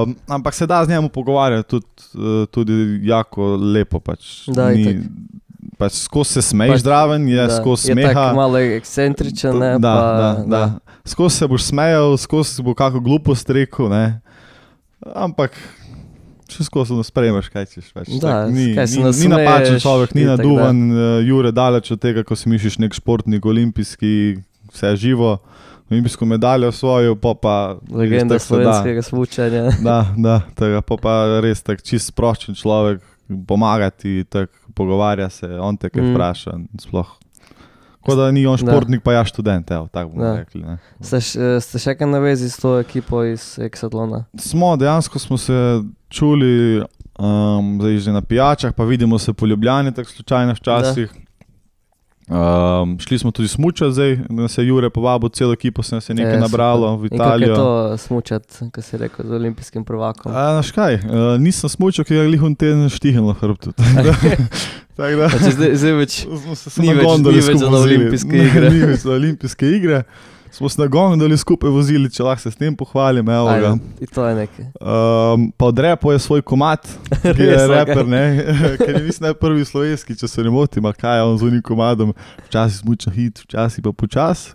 um, ampak se da z njemu pogovarjati tudi, tudi jako lepo, pač. Da, ni, itak. Pač skozi se smeješ pač, zdraven, je da. Skozi smeha. Je tak malo ekscentričen, ne? Da, pa, da, da. da. Skozi se boš smejal, skozi bo kako glupost rekel, ne? Ampak še skozi ne sprejmeš, kaj ćeš več. Da, tak, ni, kaj se ni, ni napačen človek, ni naduvan, Jure daleč od tega, ko si misliš nek športnik, olimpijski, vse živo, olimpijsko medaljo svojo, pa pa... Legenda slovenskega smučanja. Da, da, tega, pa pa res tak čist sproščen človek, pomagati, tak pogovarja se, on te kaj mm. vpraša, sploh. Ko da ni on športnik, da. Pa ja študent, evo, tako bomo rekli. Ne. Ste, ste še kaj na vezi s to ekipo iz Exatlona? Smo, dejansko smo se čuli, um, zdaj že na pijačah, pa vidimo se po Ljubljani, tako slučajno včasih. Um, šli smo tudi smučati zdaj, da se Jure povabil, celo ekipo se nas je nekaj e, nabralo v Italijo. In kako je to smučati, ko si rekel, z olimpijskim prvakom? A, naš kaj, uh, nisem smučal, ker je lihon teden štihnilo hrbtu. Tak da, zdaj, zdaj več ni več, ni več za olimpijske igre. Ni več za olimpijske igre. Smo se na gondoli skupaj vozili, če lahko se s tem pohvalim, evo ga. In to je nekaj. Um, pa odrepo je svoj komad, ki je reper, ne, ker je mislim najprvi slovenski, če se ne motim, a kaj je on z unim komadom, včasih smuča hit, včasih pa počas.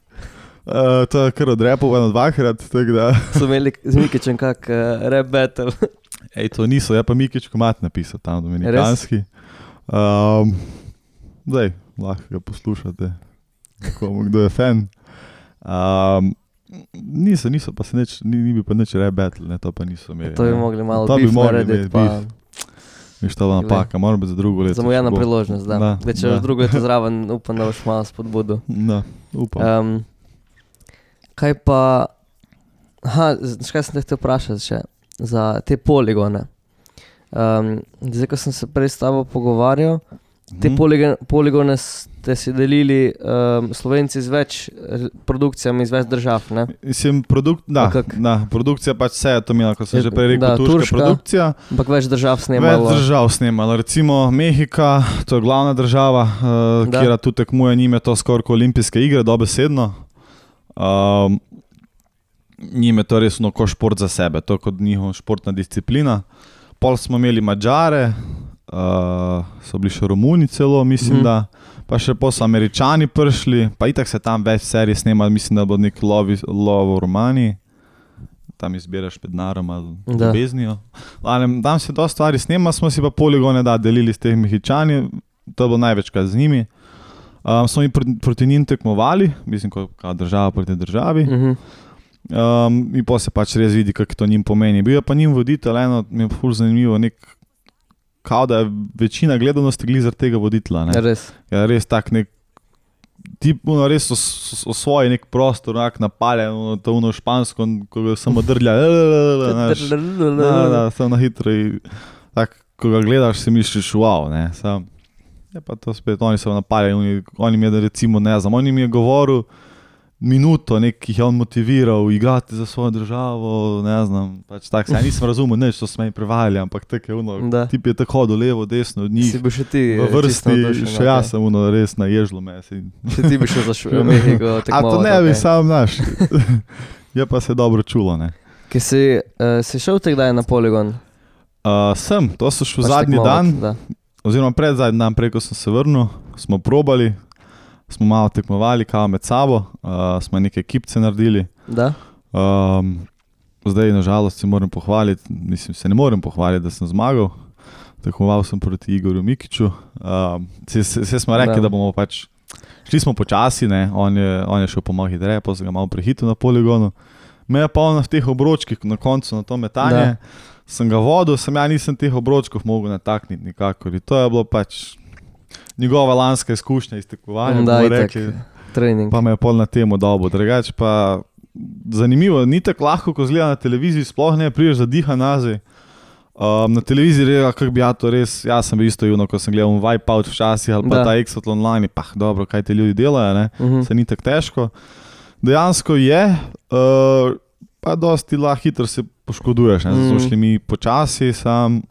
Uh, to je kar odrepo, eno dvakrat, tako da. So imeli z Mikićem kak uh, rap battle. Ej, to niso, je pa Mikić komad napisal tam dominikanski. Um, zdaj, lahko ga poslušate, komu, kdo je fan. Um, niso, niso pa se neč, ni, ni bi pa neč rap battle, ne, to pa niso imeli. To bi mogli malo beef narediti, pa... Viš, to napaka, moram biti za drugo leto. Zamujena priložnost, da. da Če boš drugo leto zraven, upam, da boš malo spodbudu. Da, upam. Um, kaj pa... Aha, kaj sem te htel vprašati še? Za te poligone. Um, zdaj, ko sem se prej s tabo pogovarjal, Te poligon, poligone ste si delili um, Slovenci z več produkcijami iz več držav, ne? Mislim, produk, da, da, produkcija pač vse je to imela, ko sem že prej rekel, da, turška, turška produkcija. Ampak več držav snemalo. Več držav snemalo, recimo Mehika, to je glavna država, uh, kjer tu tekmuje njime to skoraj kot olimpijske igre, dobesedno. Um, njime to res ko šport za sebe, to je kot njihova športna disciplina. Pol smo imeli Mađare, Uh, so bili še Romuni celo, mislim, mm. da pa še po so Američani prišli, pa itak se tam več serij snema, mislim, da bo nek lovi, lovo v Romaniji, tam izbiraš med narom ali ljubeznijo. Tam se dosta stvari snema, smo si pa poligone da delili s teh Mehičani, to bo največkrat z njimi. Um, smo mi proti, proti njim tekmovali, mislim, kot država proti državi. Mm-hmm. Um, in pa se pač res vidi, kako to njim pomeni. Bil je pa njim voditelj, eno mi je ful zanimivo, nek kao da je večina gledanosti glih zaradi tega voditla. Ne? Res. Ja, res tak nek, tip, ono, res osvoji nek prostor, nek napaljen, ono, to ono špansko, ko ga samo drlja, samo na hitro in tak, ko ga gledaš, si misliš, wow, ne, sam, je pa to spet, oni so napaljeni, oni, oni mi je, recimo, ne znam, oni mi je govoril minuto, nekih je on motiviral, igrati za svojo državo, ne znam, pač tak se, ja nisem razumel, neč, to smo mi prevajali, ampak tako je ono, da. Tip je tako hodil levo, desno od njih, si bi še ti v vrsti, še jaz sem ono res naježilo me. Si. Še ti bi šel za švel, Mehiko tekmovati. A to ne bi, okay. Sam naš, je pa se dobro čulo, ne. Kaj si, uh, si šel te kdaj na poligon? Uh, sem, to so šel zadnji dan, da. Oziroma pred zadnji dan, preko sem se vrnil, smo probali, smo malo tekmovali, kao med sabo, uh, smo neke ekipce naredili. Da? Um, zdaj, nažalost, se moram pohvaliti, mislim, se ne morem pohvaliti, da sem zmagal. Tekmoval sem proti Igorju Mikiću. Um, se, se, se smo rekli, da. da bomo pač, šli smo počasi, ne, on je, on je šel po malo hitreje, pa sem ga malo prehitil na poligonu. Me je pa on v teh obročkih na koncu na to metanje, da. Sem ga vodil, sem ja nisem teh obročkov mogel natakniti nikakor. To je bilo pač njegova lanska izkušnja iz tekmovanja, bomo rekli, trening. Pa me je pol na temo dobo. Drugač pa zanimivo, ni tako lahko, ko zgleda na televiziji, sploh ne priješ za diha nazaj. Um, na televiziji rega, kako bi ja to res, jaz sem bil isto juno, ko sem gledal Wipeout včasih ali pa da. Ta Exatlon Online, pa dobro, kaj te ljudi delajo, ne, uh-huh. Se ni tako težko. Dejansko je, uh, pa dosti lahko hitro se poškoduješ, ne, zato šli mi počasi, sam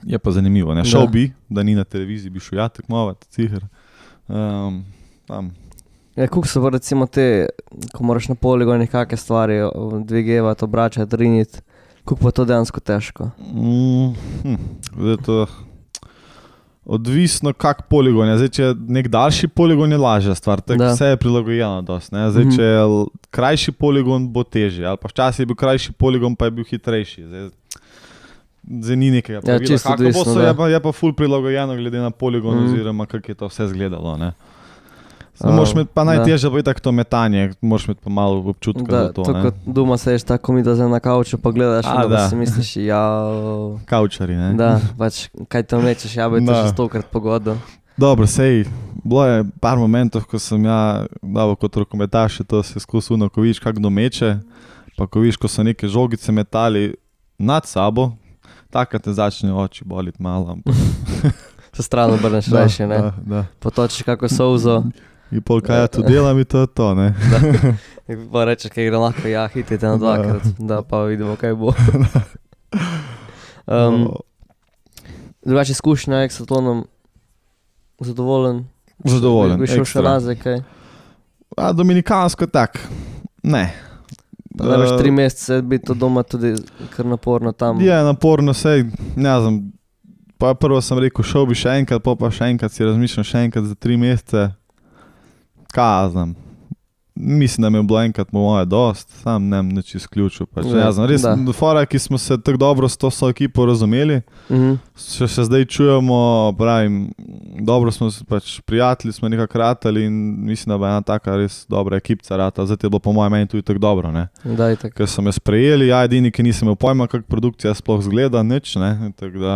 je pa zanimivo, ne, šel bi, da ni na televiziji, bi šel ja tekmovati, ciher. Um, tam. Ja, kako so pa recimo te, ko moraš na poligonu kakve stvari dvigevati, obračati, riniti, kako pa to dejansko težko? Mm, hm, zdaj to odvisno kak poligon je. Zdaj, če je nek daljši poligon, je lažja stvar, tako vse je prilagojeno dosti, ne. Zdaj, če je krajši poligon, bo težje, ali pa včasih je bil krajši poligon, pa je bil hitrejši. Zdaj, zdaj ni nekega pravila, ja, kako bo so, je pa, je pa ful prilagojeno glede na poligon, mm. oziroma kako je to vse izgledalo, ne. Uh, moraš imeti pa najtežje bo itak to metanje, moraš imeti pa malo občutka da, za to, to ne. Kot doma sediš tako mi da zdaj na kauču pa gledaš, A, da si misliš, ja... Kaučari, ne. Da, pač, kaj to mečeš, ja bi to že stokrat pogodil. Dobro, sej, bilo je par momentov, ko sem ja, davo kot rokometaš, to se skusuno, ko vidiš kak domeče, pa ko vidiš, ko so neke žogice metali nad sabo, takrat te začne oči boliti malo. Se stran obrneš rajši, ne? Da, da. Potočiš kako solzo. In pol kaj ja tu delam in to je to, ne? Da. In pa rečeš, kaj gre lahko, ja, hitite na dvakrat, da pa vidimo, kaj bo. um, drugače izkušnja Exatlonom, zadovoljen? Zadovoljen, bi šel še nazaj, kaj? A, dominikansko tak, ne. Pa da veš tri mesece biti to doma tudi kar naporno tam. Je naporno, sej, ne znam, pa prvo sem rekel, šel bi še enkrat, pa pa še enkrat si razmišljam še enkrat za tri mesece. Kaj znam, mislim, da mi je bilo enkrat moje dost, sam ne vem nič izključil. Pač, ja, znam, res, fora, ki smo se tako dobro s to so ekipo razumeli, uh-huh. še se zdaj čujemo, pravim, dobro smo pač prijatelji, smo nekako ratali in mislim, da bo ena taka res dobra ekipca rata, zdaj je bilo po mojem meni tudi tako dobro, ne. Daj, tak. Ker so me sprejeli, ja, edini, ki nisem imel pojma, kak produkcija sploh zgleda, nič, ne, tako da...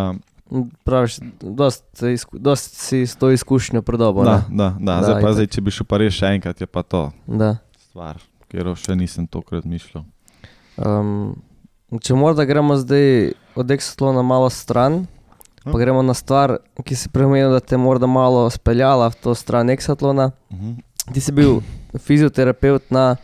Praviš, dosti, dosti si s to izkušnjo predobo, da, ne? Da, da, zdaj pa zdaj, če bi šel pa res še enkrat, je pa to da. Stvar, kjer še nisem tokrat mišljal. Um, če morda gremo zdaj od Exatlona malo stran, Pa gremo na stvar, ki si premenil, da te morda malo speljala v to stran eksatlona. Uh-huh. Ti si bil fizioterapeut na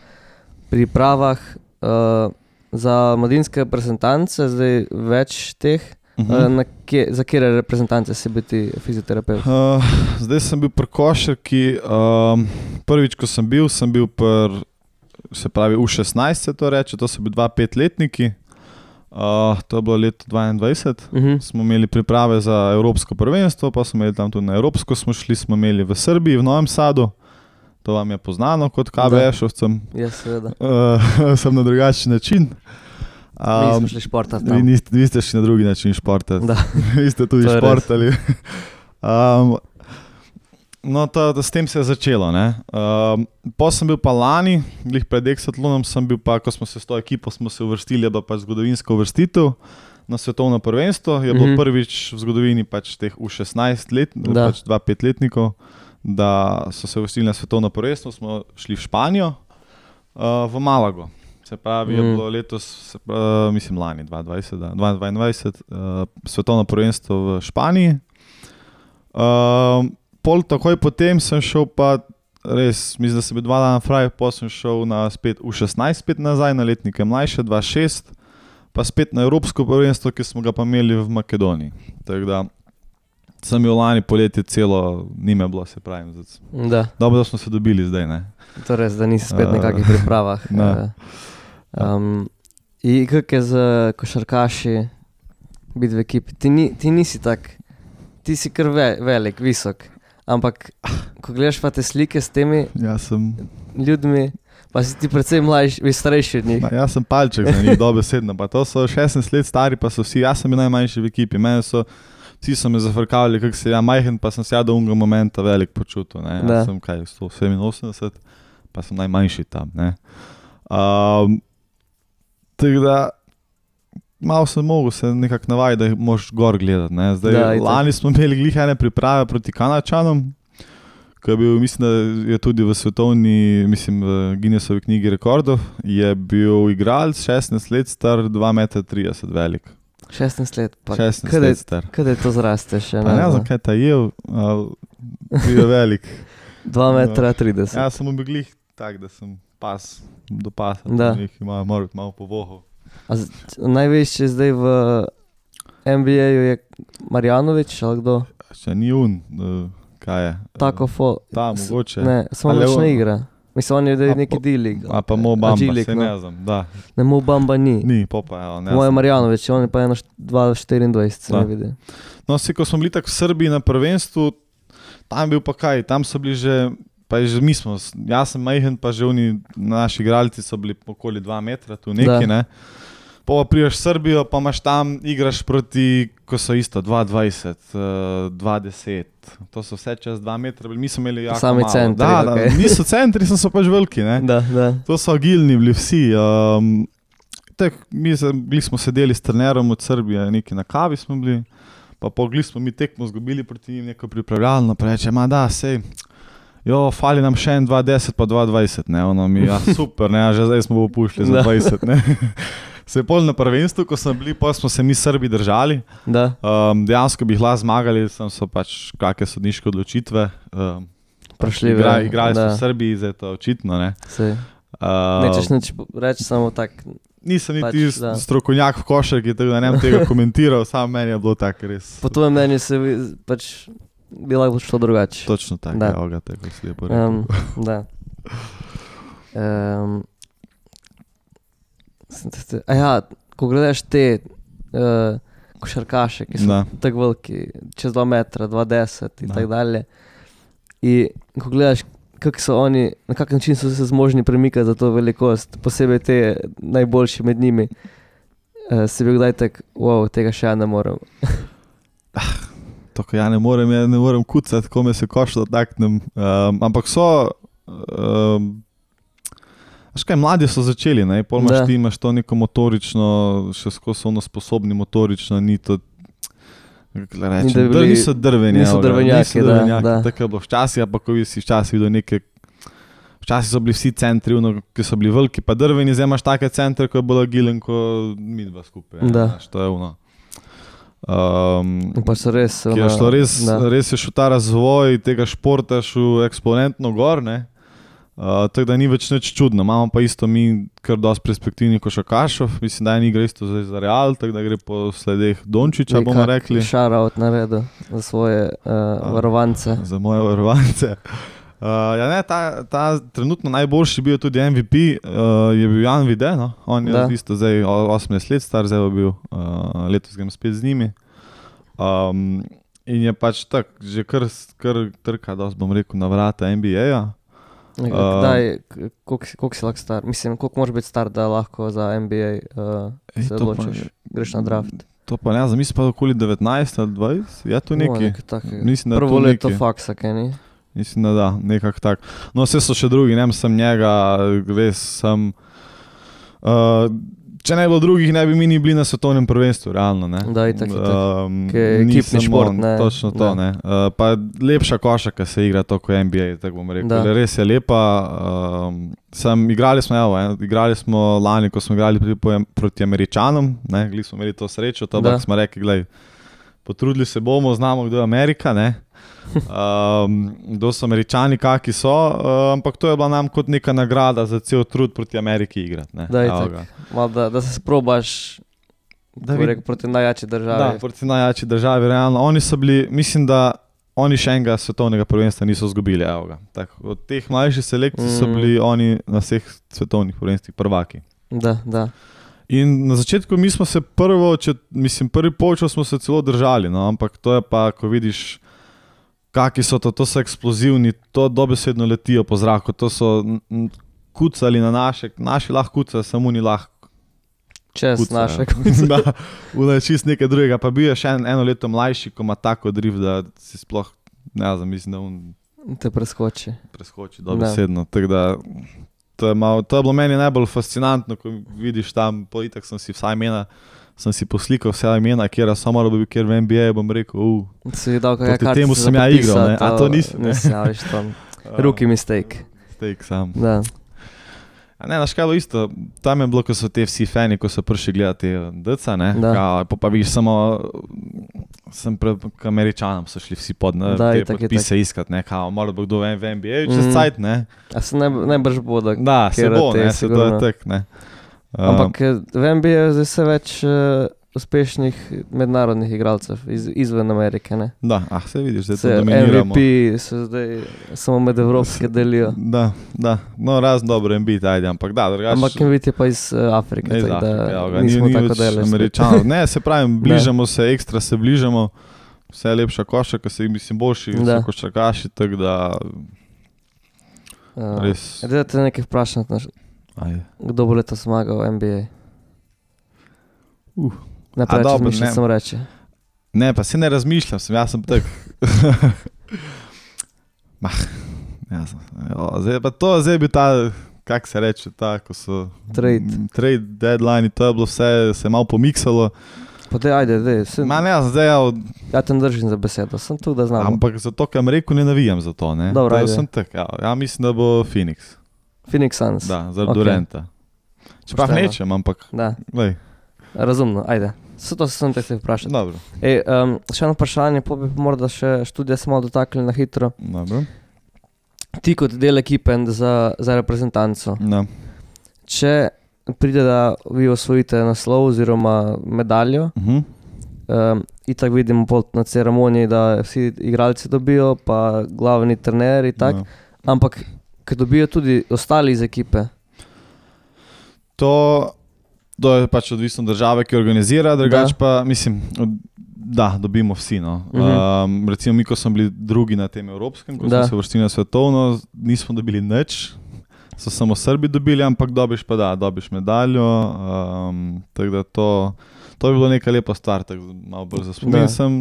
pripravah uh, za mladinske reprezentance, zdaj več teh. Uh-huh. Uh, na kje, za kjere reprezentance si bil ti fizioterapeut? Uh, zdaj sem bil pri košarki. Um, prvič, ko sem bil, sem bil pri, se pravi, U šestnajst se to reče, to so bili dva petletniki. Uh, to je bilo leto dvaindvajset. Uh-huh. Smo imeli priprave za evropsko prvenstvo, pa smo imeli tam tudi na evropsko, smo šli, smo imeli v Srbiji, v Novem Sadu. To vam je poznano kot K B S-ovcem. Ja, seveda. Uh, sem na drugačen način. Um, mi smo šli športati tam. Vi, niste, vi ste šli na drugi način športati. Da. Vi ste tudi športali. um, no, to, to, s tem se je začelo. Um, po sem bil pa lani, glih pred Exatlonom sem bil pa, ko smo se s to ekipo smo se uvrstili, je bila pač zgodovinska uvrstitev na svetovno prvenstvo. Je bilo mm-hmm. prvič v zgodovini pač teh U šestnajst let, pač dva petletnikov, da so se uvrstili na svetovno prvenstvo, smo šli v Španijo, uh, v Malago. Se pravi, mm. je bilo letos, se pravi, mislim lani, dvaindvajset, dvaindvajset uh, svetovno prvenstvo v Španiji. Uh, pol takoj potem sem šel pa, res, mislim, da sem bil dva dana fraj, pa sem šel na spet U šestnajst spet nazaj, na letnike mlajše, dva šest, pa spet na evropsko prvenstvo, ki smo ga pa imeli v Makedoniji. Tako da sem bil lani poletje celo, nime bilo, se pravim. Da. Dobro, da smo se dobili zdaj, ne. To res, da nisi spet v nekakih pripravah. Ne. Um, in kako je z košarkaši biti v ekipi? Ti, ni, ti nisi tak, ti si kar ve, velik, visok, ampak ko gledaš pa te slike s temi ja, sem... ljudmi, pa si ti predvsem mlajši, starejši od njih. Ja, jaz sem palček za njih, dobesedno, pa to so šestnajst let stari, pa so vsi, jaz sem bil najmanjši v ekipi, mene so vsi so me zafrkavali, kako se ja majhen, pa sem se ja do unga momenta velik počutil. Ne. Jaz sem kaj, sto sedeminosemdeset, pa sem najmanjši tam. Ne. Um, tako da, malo sem mogel se nekako navajati, da moraš gor gledati. Ne. Zdaj, da, lani smo imeli glih ene priprave proti Kanadčanom, ki je bil, mislim, da je tudi v svetovni, mislim, v Guinnessovi knjigi rekordov, je bil igralec šestnajst let star, dva metra trideset velik. šestnajst let, pa šestnajst let star. Kada je to zraste še? Pa ne znam, kaj ta jel, bil je velik. dva metra trideset. Ja, sem bil glih tak, da sem pas, do pasa, da ima mora biti malo povohov. Največji zdaj v N B A-ju je Marjanović, ali kdo? Še ni un, kaj je? Tako fo... Ta, mogoče. Ne, samo več ne igra. Mislim, on je da neki D-League. A pa Mo Bamba, se ne znam, da. Ne, Mo Bamba ni. Ni, popa, evo, ne znam. Moje Marjanović, on je pa eno dva štiriindvajset, se ne vidi. No, si, ko smo bili tak v Srbiji na prvenstvu, tam bil pa kaj, tam so bili že, pa je že mi smo, jaz sem majhen, pa že oni, naši igralci so bili okoli dva metra, tu neki, ne. Pa priješ v Srbijo, pa imaš tam, igraš proti, ko so isto, dva dvajset, dva deset, to so vse čez dva metra, mi smo imeli jako sami malo. Sami centri, da, da, okay. Niso centri, so pač veliki, ne. Da, da. To so agilni bili vsi. Um, tak, mi bili smo sedeli s trenerom od Srbije, neki na kavi smo bili, pa pogli smo mi tekmo zgubili proti njim neko pripravljalno, pa reče, ma da, sej, jo, fali nam še en dva deset pa dva dvajset, ne, ono mi, ja, super, ne, že zdaj smo popušli za dvajset, ne. Se je pol na prvenstvu, ko smo bili, pa smo se mi Srbi držali. Um, dejansko bi lahko zmagali, sem so pač kakve sodniške odločitve. Um, Prašljive. Igra, igrali smo v Srbiji, zdaj to očitno, ne. Sej. Um, Nečeš neč reči samo tak. Nisem pač, niti da. Strokovnjak v košarki, tako da ne bom tega komentiral, samo meni je bilo tako res. Po tvojem mnenju se pač bi lahko šlo drugače. Točno tako, evo ga, tako si lepo rekel. Um, da. Um, A ja, ko gledaš te uh, košarkaše, ki so da. Tako veliki, čez dva metra, dva deset in tako dalje. In ko gledaš, kako so oni, na kak način so se zmožni premikati za to velikost, posebej te najboljši med njimi, uh, si bil kdaj tak, wow, tega še ja ne morem. To, ko ja ne morem, ja ne morem kucati, ko me se koš dotaknem. Um, ampak so... Um, Veš kaj, mladi so začeli, ne, pol imaš ti, imaš to neko motorično, še skozi ono sposobni motorično, ni to, kako rečem, ni bili, niso drveni. Niso drvenjaki, da, da. Tako je bilo včasih, pa ko si včasih videl neke, včasih so bili vsi centri, ono, ki so bili veliki, pa drveni, zdaj imaš take centre, ko je bolj agilen, ko mi dva skupaj. Da. Znaš, to je ono. Um, pa so res, ki je šlo res, res je šel ta razvoj tega športa šel eksponentno gor, ne. Uh, tako da ni več nič čudno. Imamo pa isto mi kar dosti perspektivnih košarkašov. Mislim, da je igra isto zdaj za Real, tako da gre po sledeh Dončića, bomo rekli. Shoutout naredil za svoje uh, varovance. Za moje varovance. Uh, ja, ne, ta, ta trenutno najboljši bil tudi M V P, uh, je bil Jan Vide, no? On je da. Isto zdaj osemnajst let star, zdaj je bil, uh, letos grem spet z njimi. Um, in je pač tak, že kar, kar trka, dosti bom rekel, na vrata N B A-ja. Kdaj, koliko si lahko star? Mislim, koliko moraš biti star, da lahko za N B A uh, se odločiš, greš na draft? To pa ne, mislim pa okoli devetnajst ali dvajset, je to neki. No, prvo leto faksa, kaj ni? Mislim, da da, nekako tak. No, vse so še drugi, ne sem njega, res sem... Uh, če ne bilo drugih, ne bi mi ni bili na svetovnem prvenstvu, realno, ne. Da, itak, itak. Um, Kaj je ekipni šport, ne. Točno to, ne. Uh, pa lepša košarka se igra to kot N B A, tako bom rekel. Da. Res je lepa. Um, sem, igrali smo, evo, eh, igrali smo lani, ko smo igrali proti, proti Američanom, ne, gli smo imeli to srečo, to pa smo rekli, glej, potrudili se bomo, znamo, kdo je Amerika, ne. Um, kdo so Američani, kaki so, uh, ampak to je bila nam kot neka nagrada za cel trud proti Ameriki igrati. Ne? Da, Mal, da, da se sprobaš da vid... rekel, proti najjači državi. Da, proti najjači državi, realno. Oni so bili, mislim, da oni še enega svetovnega prvenstva niso izgubili. Od teh mlajših selekcij mm. so bili oni na vseh svetovnih prvenstvih prvaki. Da, da. In na začetku mi smo se prvo, če, mislim, prvi polčas smo se celo držali, no, ampak to je pa, ko vidiš, kaki so to, to so eksplozivni, to dobesedno letijo po zraku, to so kucali na naše, naši lahko kucajo, samo ni lahko čez kucajo. Naše kucajo. Da, v čist nekaj drugega, pa bil je še en, eno leto mlajši, ko ima tako drift, da si sploh, ne znam, mislim, da on te preskoči. Preskoči dobesedno, tako da to je, malo, to je bilo meni najbolj fascinantno, ko vidiš tam, po itak sem si vsaj imena, sem si poslikal vse imena, kjera so moralo bi, kjer v N B A, bom rekel, uh, proti temu sem ja igral, ne? A to nisi? Ne, ja, viš tam, rookie mistake. Mistake sam. Da. A ne, naš kajlo isto, tam je bilo, ko so te vsi fani, ko so prišli gledati deca, ne? Da. Pa, pa viš samo, sem pred Američanom so šli vsi pod, ne? Da, te itak, podpise itak. Iskat, ne? Kao, moralo bi kdo v N B A, čez mm. cajt, ne? A se najbrž bo, da... Da, se bo, ne? Se to je tak, ne? Ampak v N B A je zdaj vse več uh, uspešnih mednarodnih igralcev iz, izven Amerike, ne? Da, ah, se vidiš, zdaj to dominiramo. M V P se zdaj samo med evropske delijo. Da, da, no razno dobro M V P, ajde, ampak da, drugače... Ampak M V P je pa iz uh, Afrike, ne, tako da ja, nismo ni, tako delali. Američanov. Ne, se pravim, bližamo se, ekstra se bližamo, vse je lepša košarka, se jih mislim boljši, so košarkaši, tako da... Uh, res... Da te nekaj vprašati, naš... Ajde. Kdo bo leto zmagal v N B A? Uh. Ne preveč razmišljam, sem reči. Ne, pa se ne razmišljam, sem, jaz sem tak. Mah, jaz sem. Jo, zdaj, pa to zdaj bi ta, kak se reče, ta, ko so... Trade. Trade, deadline, to je bilo vse, se je malo pomiksalo. Pa te, ajde, dej. Sem, Ma ne, zdaj ja... Ja te držim za besedo, sem tu, da znam. Ampak zato, kam rekel, ne navijam za to, ne? Dobro, ajde. Sem tak, ja, ja mislim, da bo Phoenix. Phoenix Suns. Da, zaradi okay. Duranta. Čeprav nečem, ampak... Da. Lej. Razumno, ajde. Vse to sem te se vprašati. Dobro. Ej, um, še eno vprašanje, po bi morda še študija se malo dotakli na hitro. Dobro. Ti kot del ekipe za, za reprezentanco. No. Če pride, da vi osvojite naslov oziroma medaljo, uh-huh. um, itak vidimo na ceremoniji, da vsi igralci dobijo, pa glavni trener in tak, no. Ampak ki dobijo tudi ostali iz ekipe? To, to je pač odvisno države, ki organizira, drugače pa, mislim, da, dobimo vsi, no. Uh-huh. Um, recimo mi, ko smo bili drugi na tem evropskem, ko da. Smo se vrstili na svetovno, nismo dobili nič, so samo Srbi dobili, ampak dobiš pa da, dobiš medaljo, um, tako da to, to bi bilo neka lepa stvar, tako malo bolj za spomin sem.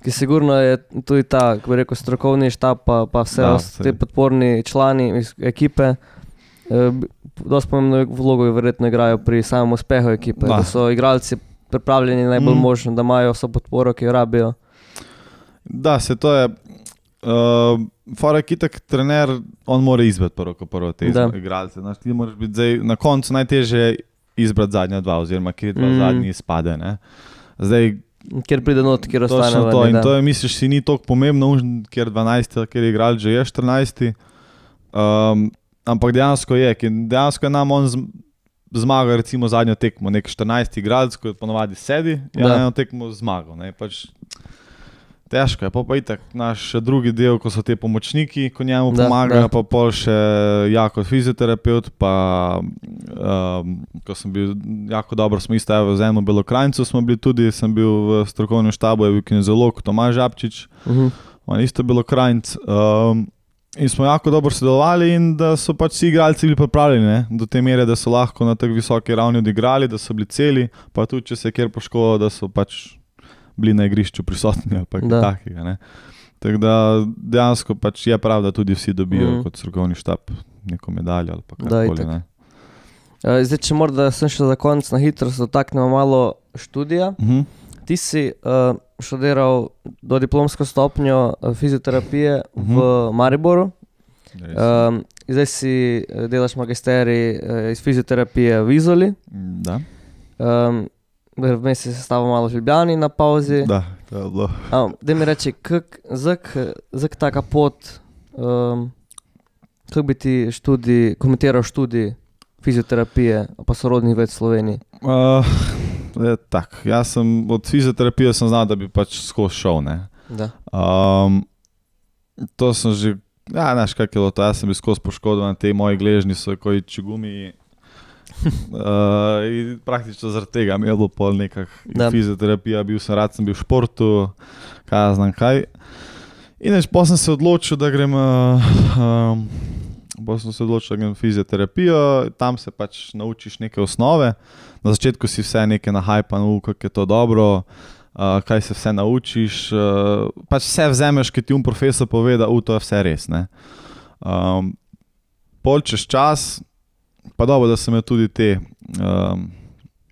Ki sigurno je tudi ta, kako bi rekel, strokovni štab, pa, pa vse da, te podporni člani iz ekipe, eh, dosti pomembno vlogo verjetno igrajo pri samem uspehu ekipe, da, da so igralci pripravljeni najbolj mm. možno, da imajo vso podporo, ki jo rabijo. Da, se to je, uh, fora kitak trener, on mora izbrati prvo, ko prvo te igralce, znaš, ti moraš biti zdaj, na koncu najtežje izbrati zadnja dva, oziroma kjer dva mm. zadnji izpade, ne. Zdaj, Kjer pride not, kjer ostane Točno ven. to. In da. to je, misliš, si ni toliko pomembno, ker dvanajsti, ker je igral že je štirinajsti. Um, ampak dejansko je, ker dejansko je nam on z, zmagal recimo zadnjo tekmo, nek štirinajsti igralec, ko je ponovadi sedi, je Da. eno tekmo zmagal. Ne, pač težko je, pa pa itak naš drugi del, ko so te pomočniki, ko njemu Da, pomagajo, da. pa pol še jako fizioterapeut, pa um, ko sem bil jako dobro, smo isto evo z eno Belokranjcu smo bili tudi, sem bil v strokovnem štabu, je bil kineziolog Tomaž Žabčič, Mhm. on isto Belokranjc. Um, in smo jako dobro sodelovali in da so pač vsi igralci bili pripravljeni, ne, do te mere, da so lahko na tako visoki ravni odigrali, da so bili celi, pa tudi, če se je kjer poškodil, da so pač bili na igrišču prisotni ali pa kaj Da. takega, ne. Tako da dejansko pač je prav, da tudi vsi dobijo Mhm. kot strokovni štab neko medaljo ali pa Da, karkoli, itak. ne. Eh, Zdaj, če morda sem še za konec na hitro se dotaknemo malo študija. Mhm. Ti si uh, študiral do diplomsko stopnjo eh, fizioterapije v Mariboru. Res. Um, zdaj si eh, delaš magisterij eh, iz fizioterapije v Izoli. Da, Um, Vmes si sestavil malo v Ljubljani na pauzi. da, to je bilo. Um, da mi reči, zak, zak taka pot, um, kako bi ti študij, komentiral študij fizioterapije pa sorodnih ved v Sloveniji? Uh, je tak, jaz sem od fizioterapije sem znal, da bi pač skozi šel, ne. Da. Um, to sem že, ja, znaš, kak je bilo to, jaz sem bil skozi poškodovan, te moji gležnji so koji čigumi. Uh, in praktično zaradi tega mi je bilo pol nekak Da. fizioterapija, bil sem rad, sem bil v športu, kaj jaz znam kaj. In neč, potem sem se odločil, da grem, uh, um, potem sem se odločil, da grem v fizioterapijo, tam se pač naučiš neke osnove. Na začetku si vse neke nahajpano, kako je to dobro, uh, kaj se vse naučiš, uh, pač vse vzameš, ki ti um profesor pove, da uh, to je vse res, ne. Um, pol čez čas, pa dobro, da sem imel tudi te, um,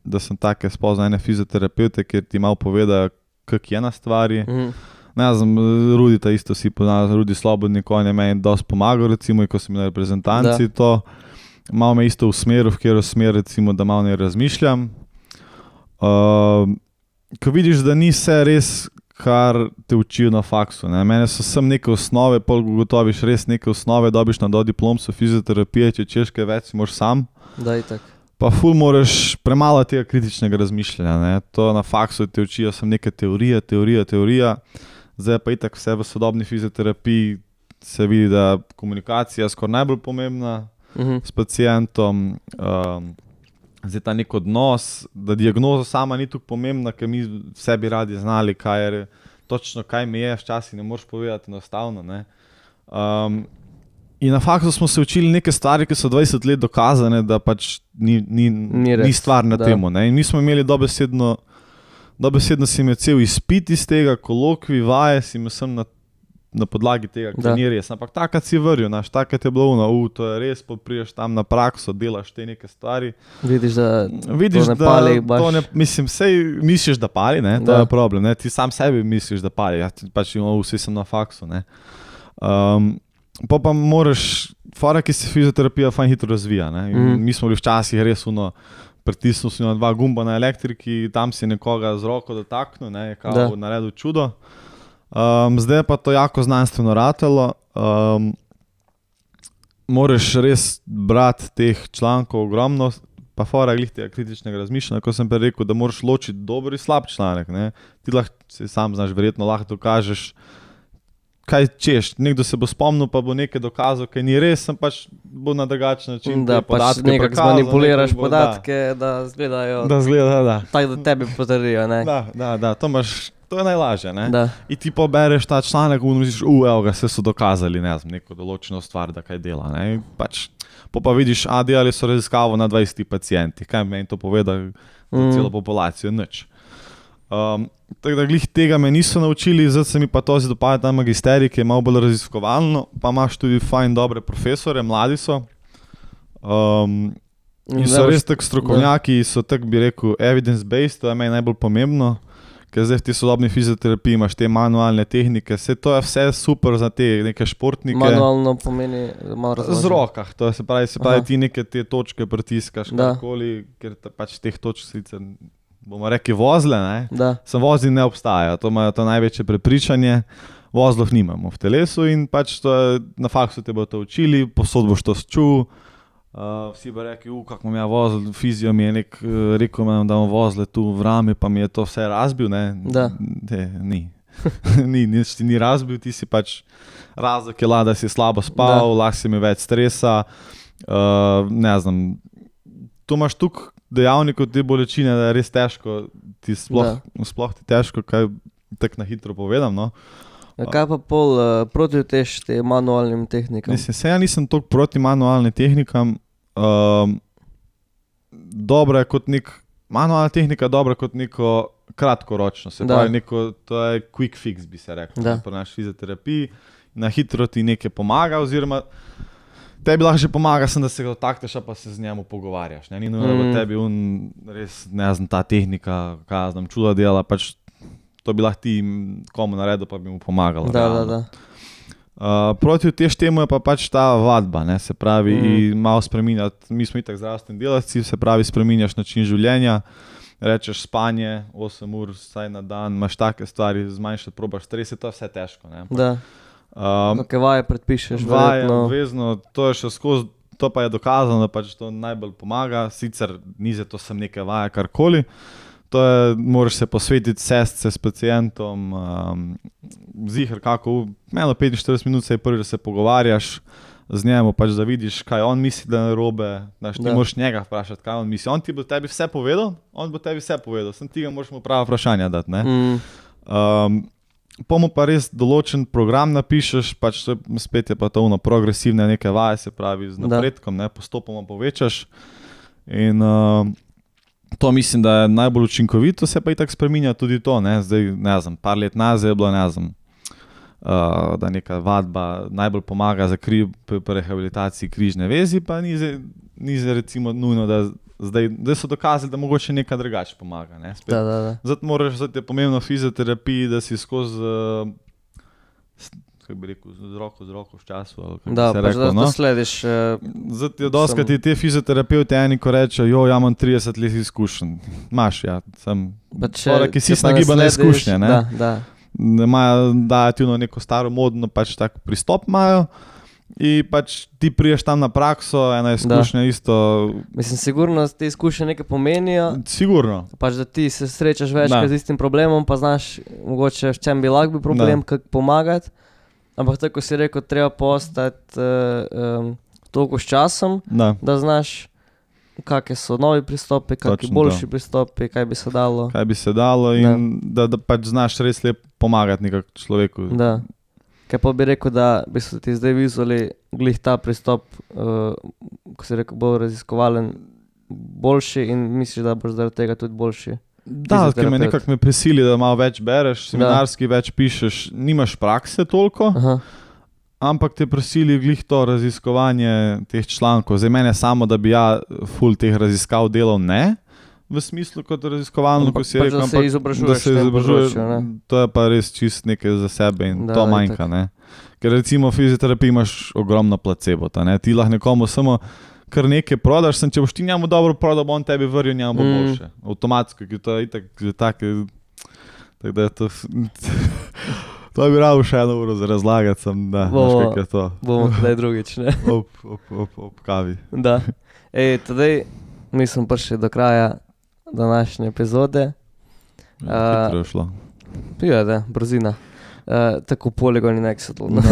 da sem take spoznal ene fizioterapeute, kjer ti malo povedajo, kak je na stvari. Mhm. Ne znam, Rudita isto si poznal, Rudi Slobodnik, on je meni dosti pomagal, recimo, ko sem bil na reprezentanci to. Malo me isto usmeril, v katero smer, recimo, da malo ne razmišljam. Uh, ko vidiš, da ni vse res, kar te učijo na faksu. Ne. Mene so sem neke osnove, pol ugotoviš res neke osnove, dobiš na dodiplomsko fizioterapije, če češ kaj več, si moraš sam. Da, itak. Pa ful moraš premalo tega kritičnega razmišljanja. Ne. To na faksu te učijo sem neke teorije, teorija, teorija. Zdaj pa itak vse v sodobni fizioterapiji se vidi, da komunikacija je skoraj najbolj pomembna Mhm. s pacientom. Um, zdaj ta nek odnos, da diagnoza sama ni tako pomembna, ker mi vse bi radi znali, kaj je, točno kaj mi je, včasih ne moreš povedati enostavno. Ne. Um, in na faktu smo se učili neke stvari, ki so dvajset let dokazane, da pač ni, ni, Ni res, ni stvar na da. temu. Ne. In mi smo imeli dobesedno, dobesedno si imel cel izpit iz tega, kolokvi, vaje si imel sem na na podlagi tega, Da. kar ni res. Ampak takrat si vril, naš, takrat je bilo ono, u, to je res, pa priješ tam na prakso, delaš te neke stvari. Vidiš, da Vidiš, to ne da pali baš. to ne, mislim, sej misliš, da pali, ne, to Da. je problem, ne, ti sam sebi misliš, da pali, ja, ti pač imamo, vsi sem na faksu, ne. Um, pa pa moraš, fora, ki se fizioterapija fajn hitro razvija, ne, in Mhm. mi smo bili včasih res ono, pritisnil si na dva gumba na elektriki, tam si nekoga z roko dotaknil, ne, je kao Da. naredil čudo. Um, zdaj je pa to jako znanstveno ratelo. Um, moraš res brati teh člankov ogromno, pa fora glih tega kritičnega razmišljanja, ko sem pa rekel, da moraš ločiti dober in slab članek. Ne. Ti lahko, si sam znaš, verjetno lahko dokažeš, kaj češ. Nekdo se bo spomnil, pa bo nekaj dokazal, kaj ni res, sem pač bo na drugačen način Da te pač podatke nekako prikazal, zmanipuliraš nekdo bo- podatke, da izgledajo Da, da zgleda, da. tako, da tebi potrdijo, ne? Da, da, da, to imaš, to je najlažje, ne. Da. In ti pobereš ta članek in misliš, u, evo ga, se so dokazali, ne znam, neko določeno stvar, da kaj dela, ne. In pač, po pa vidiš, a delali so raziskavo na dvajsetih pacientih, kaj meni to poveda za Mm. celo populacijo, nič. Um, tako da glih tega me niso naučili, zdaj se mi pa to zdi dopada ta magisterij, ki je malo bolj raziskovalno, pa imaš tudi fajn dobre profesore, mladi so. Um, in so res tako strokovnjaki, so tako bi rekel evidence-based, to je meni najbolj pomembno, ker zdaj v tej sodobni fizioterapiji imaš te manualne tehnike, vse to je vse super za te neke športnike. Manualno pomeni malo Z razložiti. rokah, to je, se pravi, se pravi Aha. ti neke te točke pritiskaš, Da. karkoli, ker ta, pač teh točk sicer bomo rekli, vozle, ne? Da. Sem vozil ne obstajajo, to imajo to največje prepričanje, vozlov nimamo v telesu in pač to je, na faksu te bo to učili, posod boš to čul, uh, vsi bo rekli, u, kako imam ja vozil, fizijo mi je nek, rekel imam, da imam vozle tu v rami, pa mi je to vse razbil, ne? Da. De, ni. ni, nič ti ni razbil, ti si pač razlog je la, da si slabo spal, lahko si mi več stresa, uh, ne znam, tu imaš tukaj dejavnikov te bolečine, da je res težko, ti sploh, sploh ti težko, kaj tako na hitro povedam, no. Ja, kaj pa pol uh, protivtež te manualnim tehnikam? Mislim, se ja nisem toliko proti manualnim tehnikam, uh, dobra je kot nek, manualna tehnika je dobra kot neko kratkoročno, se pravi neko, to je quick fix, bi se rekel, pri naši fizioterapiji, na hitro ti nekaj pomaga, oziroma tebi lahko že pomaga, sem, da se ga dotakneš, pa se z njemu pogovarjaš, ne, ni nujno, da bo tebi un, res, ne znam, ta tehnika, kaj znam, čuda dela, pač to bi lahko ti komu naredil, pa bi mu pomagalo. Da, da, da. Uh, protiv tež temu je pa pač ta vadba, ne, se pravi, mm. in malo spreminjati, mi smo itak zdravstveni delavci, se pravi, spreminjaš način življenja, rečeš spanje, osem ur vsaj na dan, imaš take stvari, zmanjšati, probaš stres, je to vse težko, ne. Da. Um, Kakve vaje predpišeš, vaje, verjetno. obvezno, to je še skozi, to pa je dokazano, da pač to najbolj pomaga, sicer ni za to sem neke vaje, karkoli, to je, moraš se posvetiti sestce s pacientom, um, ziher kako, meno petinštirideset minut se je prvi, da se pogovarjaš z njemu, pač da vidiš, kaj on misli, da je narobe, znaš, ti moraš njega vprašati, kaj on misli, on ti bo tebi vse povedal, on bo tebi vse povedal, sem ti ga moraš mu prava vprašanja dati, ne. Mm. Um, po mu pa res določen program napišeš, pač to je, spet je pa to ono progresivne neke vaje, se pravi z napredkom, ne, postopoma povečaš in uh, to mislim, da je najbolj učinkovito, se pa itak spreminja tudi to, ne, zdaj, ne znam, par let nazaj je bilo, ne znam, Uh, da neka vadba najbolj pomaga za kri, pri rehabilitaciji križne vezi, pa ni zdaj, ni zdaj recimo nujno, da zdaj, zdaj so dokazali, da mogoče nekaj drugače pomaga. Ne? Spet, da, da, da. Zato moraš, zato je pomembno v fizioterapiji, da si skozi, uh, kako bi rekel, z roko z roko v času. Ali da, se pač rekel, da no? to slediš. Uh, zato je doskrat sem... te fizioterapeuti eni, ko rečejo, jo, ja imam trideset let izkušenj. Imaš, ja, sem pač, tvora, ki si nagibane izkušnje. Ne? Da, da. Imajo dajati neko staro modno pač tak pristop imajo in pač ti priješ tam na prakso, ena izkušnja isto. Mislim, sigurno te izkušnje nekaj pomenijo. Sigurno. Pač da ti se srečaš večkrat z istim problemom, pa znaš mogoče v čem bi lahko bil problem, kako pomagati. Ampak tako si rekel, treba postati uh, um, toliko s časom, da, da znaš kakšni so novi pristopi, kakšni boljši to. pristopi, kaj bi se dalo. Kaj bi se dalo in da, da, da pač znaš res lepo pomagati nekako človeku. Da. Kaj pa bi rekel, da bi se ti zdaj vizuli glih ta pristop, uh, ko si rekel, bolj raziskovalen, boljši in misliš, da boš zaradi tega tudi boljši? Da, ker me nekako me prisili, da malo več bereš, seminarski da. več pišeš, nimaš prakse toliko, Aha. ampak te prisili glih to raziskovanje teh člankov. Zdaj mene samo, da bi ja ful teh raziskav delal, ne, v smislu kot raziskovalno, ko si pač rekel, da se izobražuješ, da se izobražuješ, to je pa res čist nekaj za sebe in da, to manjka, ne. Ker recimo v fizioterapiji imaš ogromno placebota, ne, ti lahko nekomu samo kar nekaj prodaš, sem, če boš ti njemu dobro prodal, bo on tebi vril, njemu bo mm. boljše. Avtomatsko, ki to je itak že tako, tako da je to, to bi rado še eno uro za razlagati, sem, da, bomo, veš, kak je to. Bomo kdaj drugič, ne? Op, op, op, op kavi. Da. Ej, tadej, mi smo prišli do kraja današnje epizode. Ja, hitro je šlo. Ja, da, brzina. Uh, tako poligoni Nextl. No.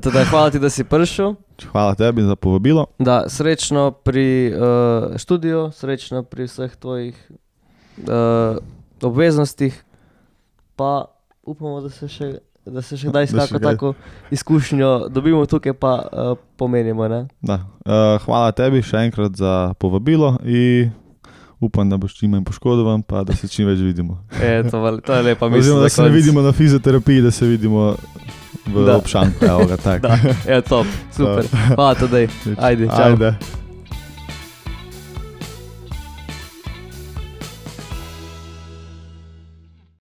Teda, hvala ti, da si prišel. Hvala tebi za povabilo. Da, srečno pri uh, študiju, srečno pri vseh tvojih uh, obveznostih, pa upamo, da se še, da se še kdaj s kako tako izkušnjo dobimo tukaj, pa uh, pomenimo. Ne? Da. Uh, hvala tebi še enkrat za povabilo in upam, da boš čim manj poškodovan, pa da se čim več vidimo. E, to, to je lepa misel. Oziroma, da se ne vidimo na fizioterapiji, da se vidimo v da. obšanku. Evo ga, tak. Da, je top, super. Hvala tedaj. Ajde, čau. Ajde.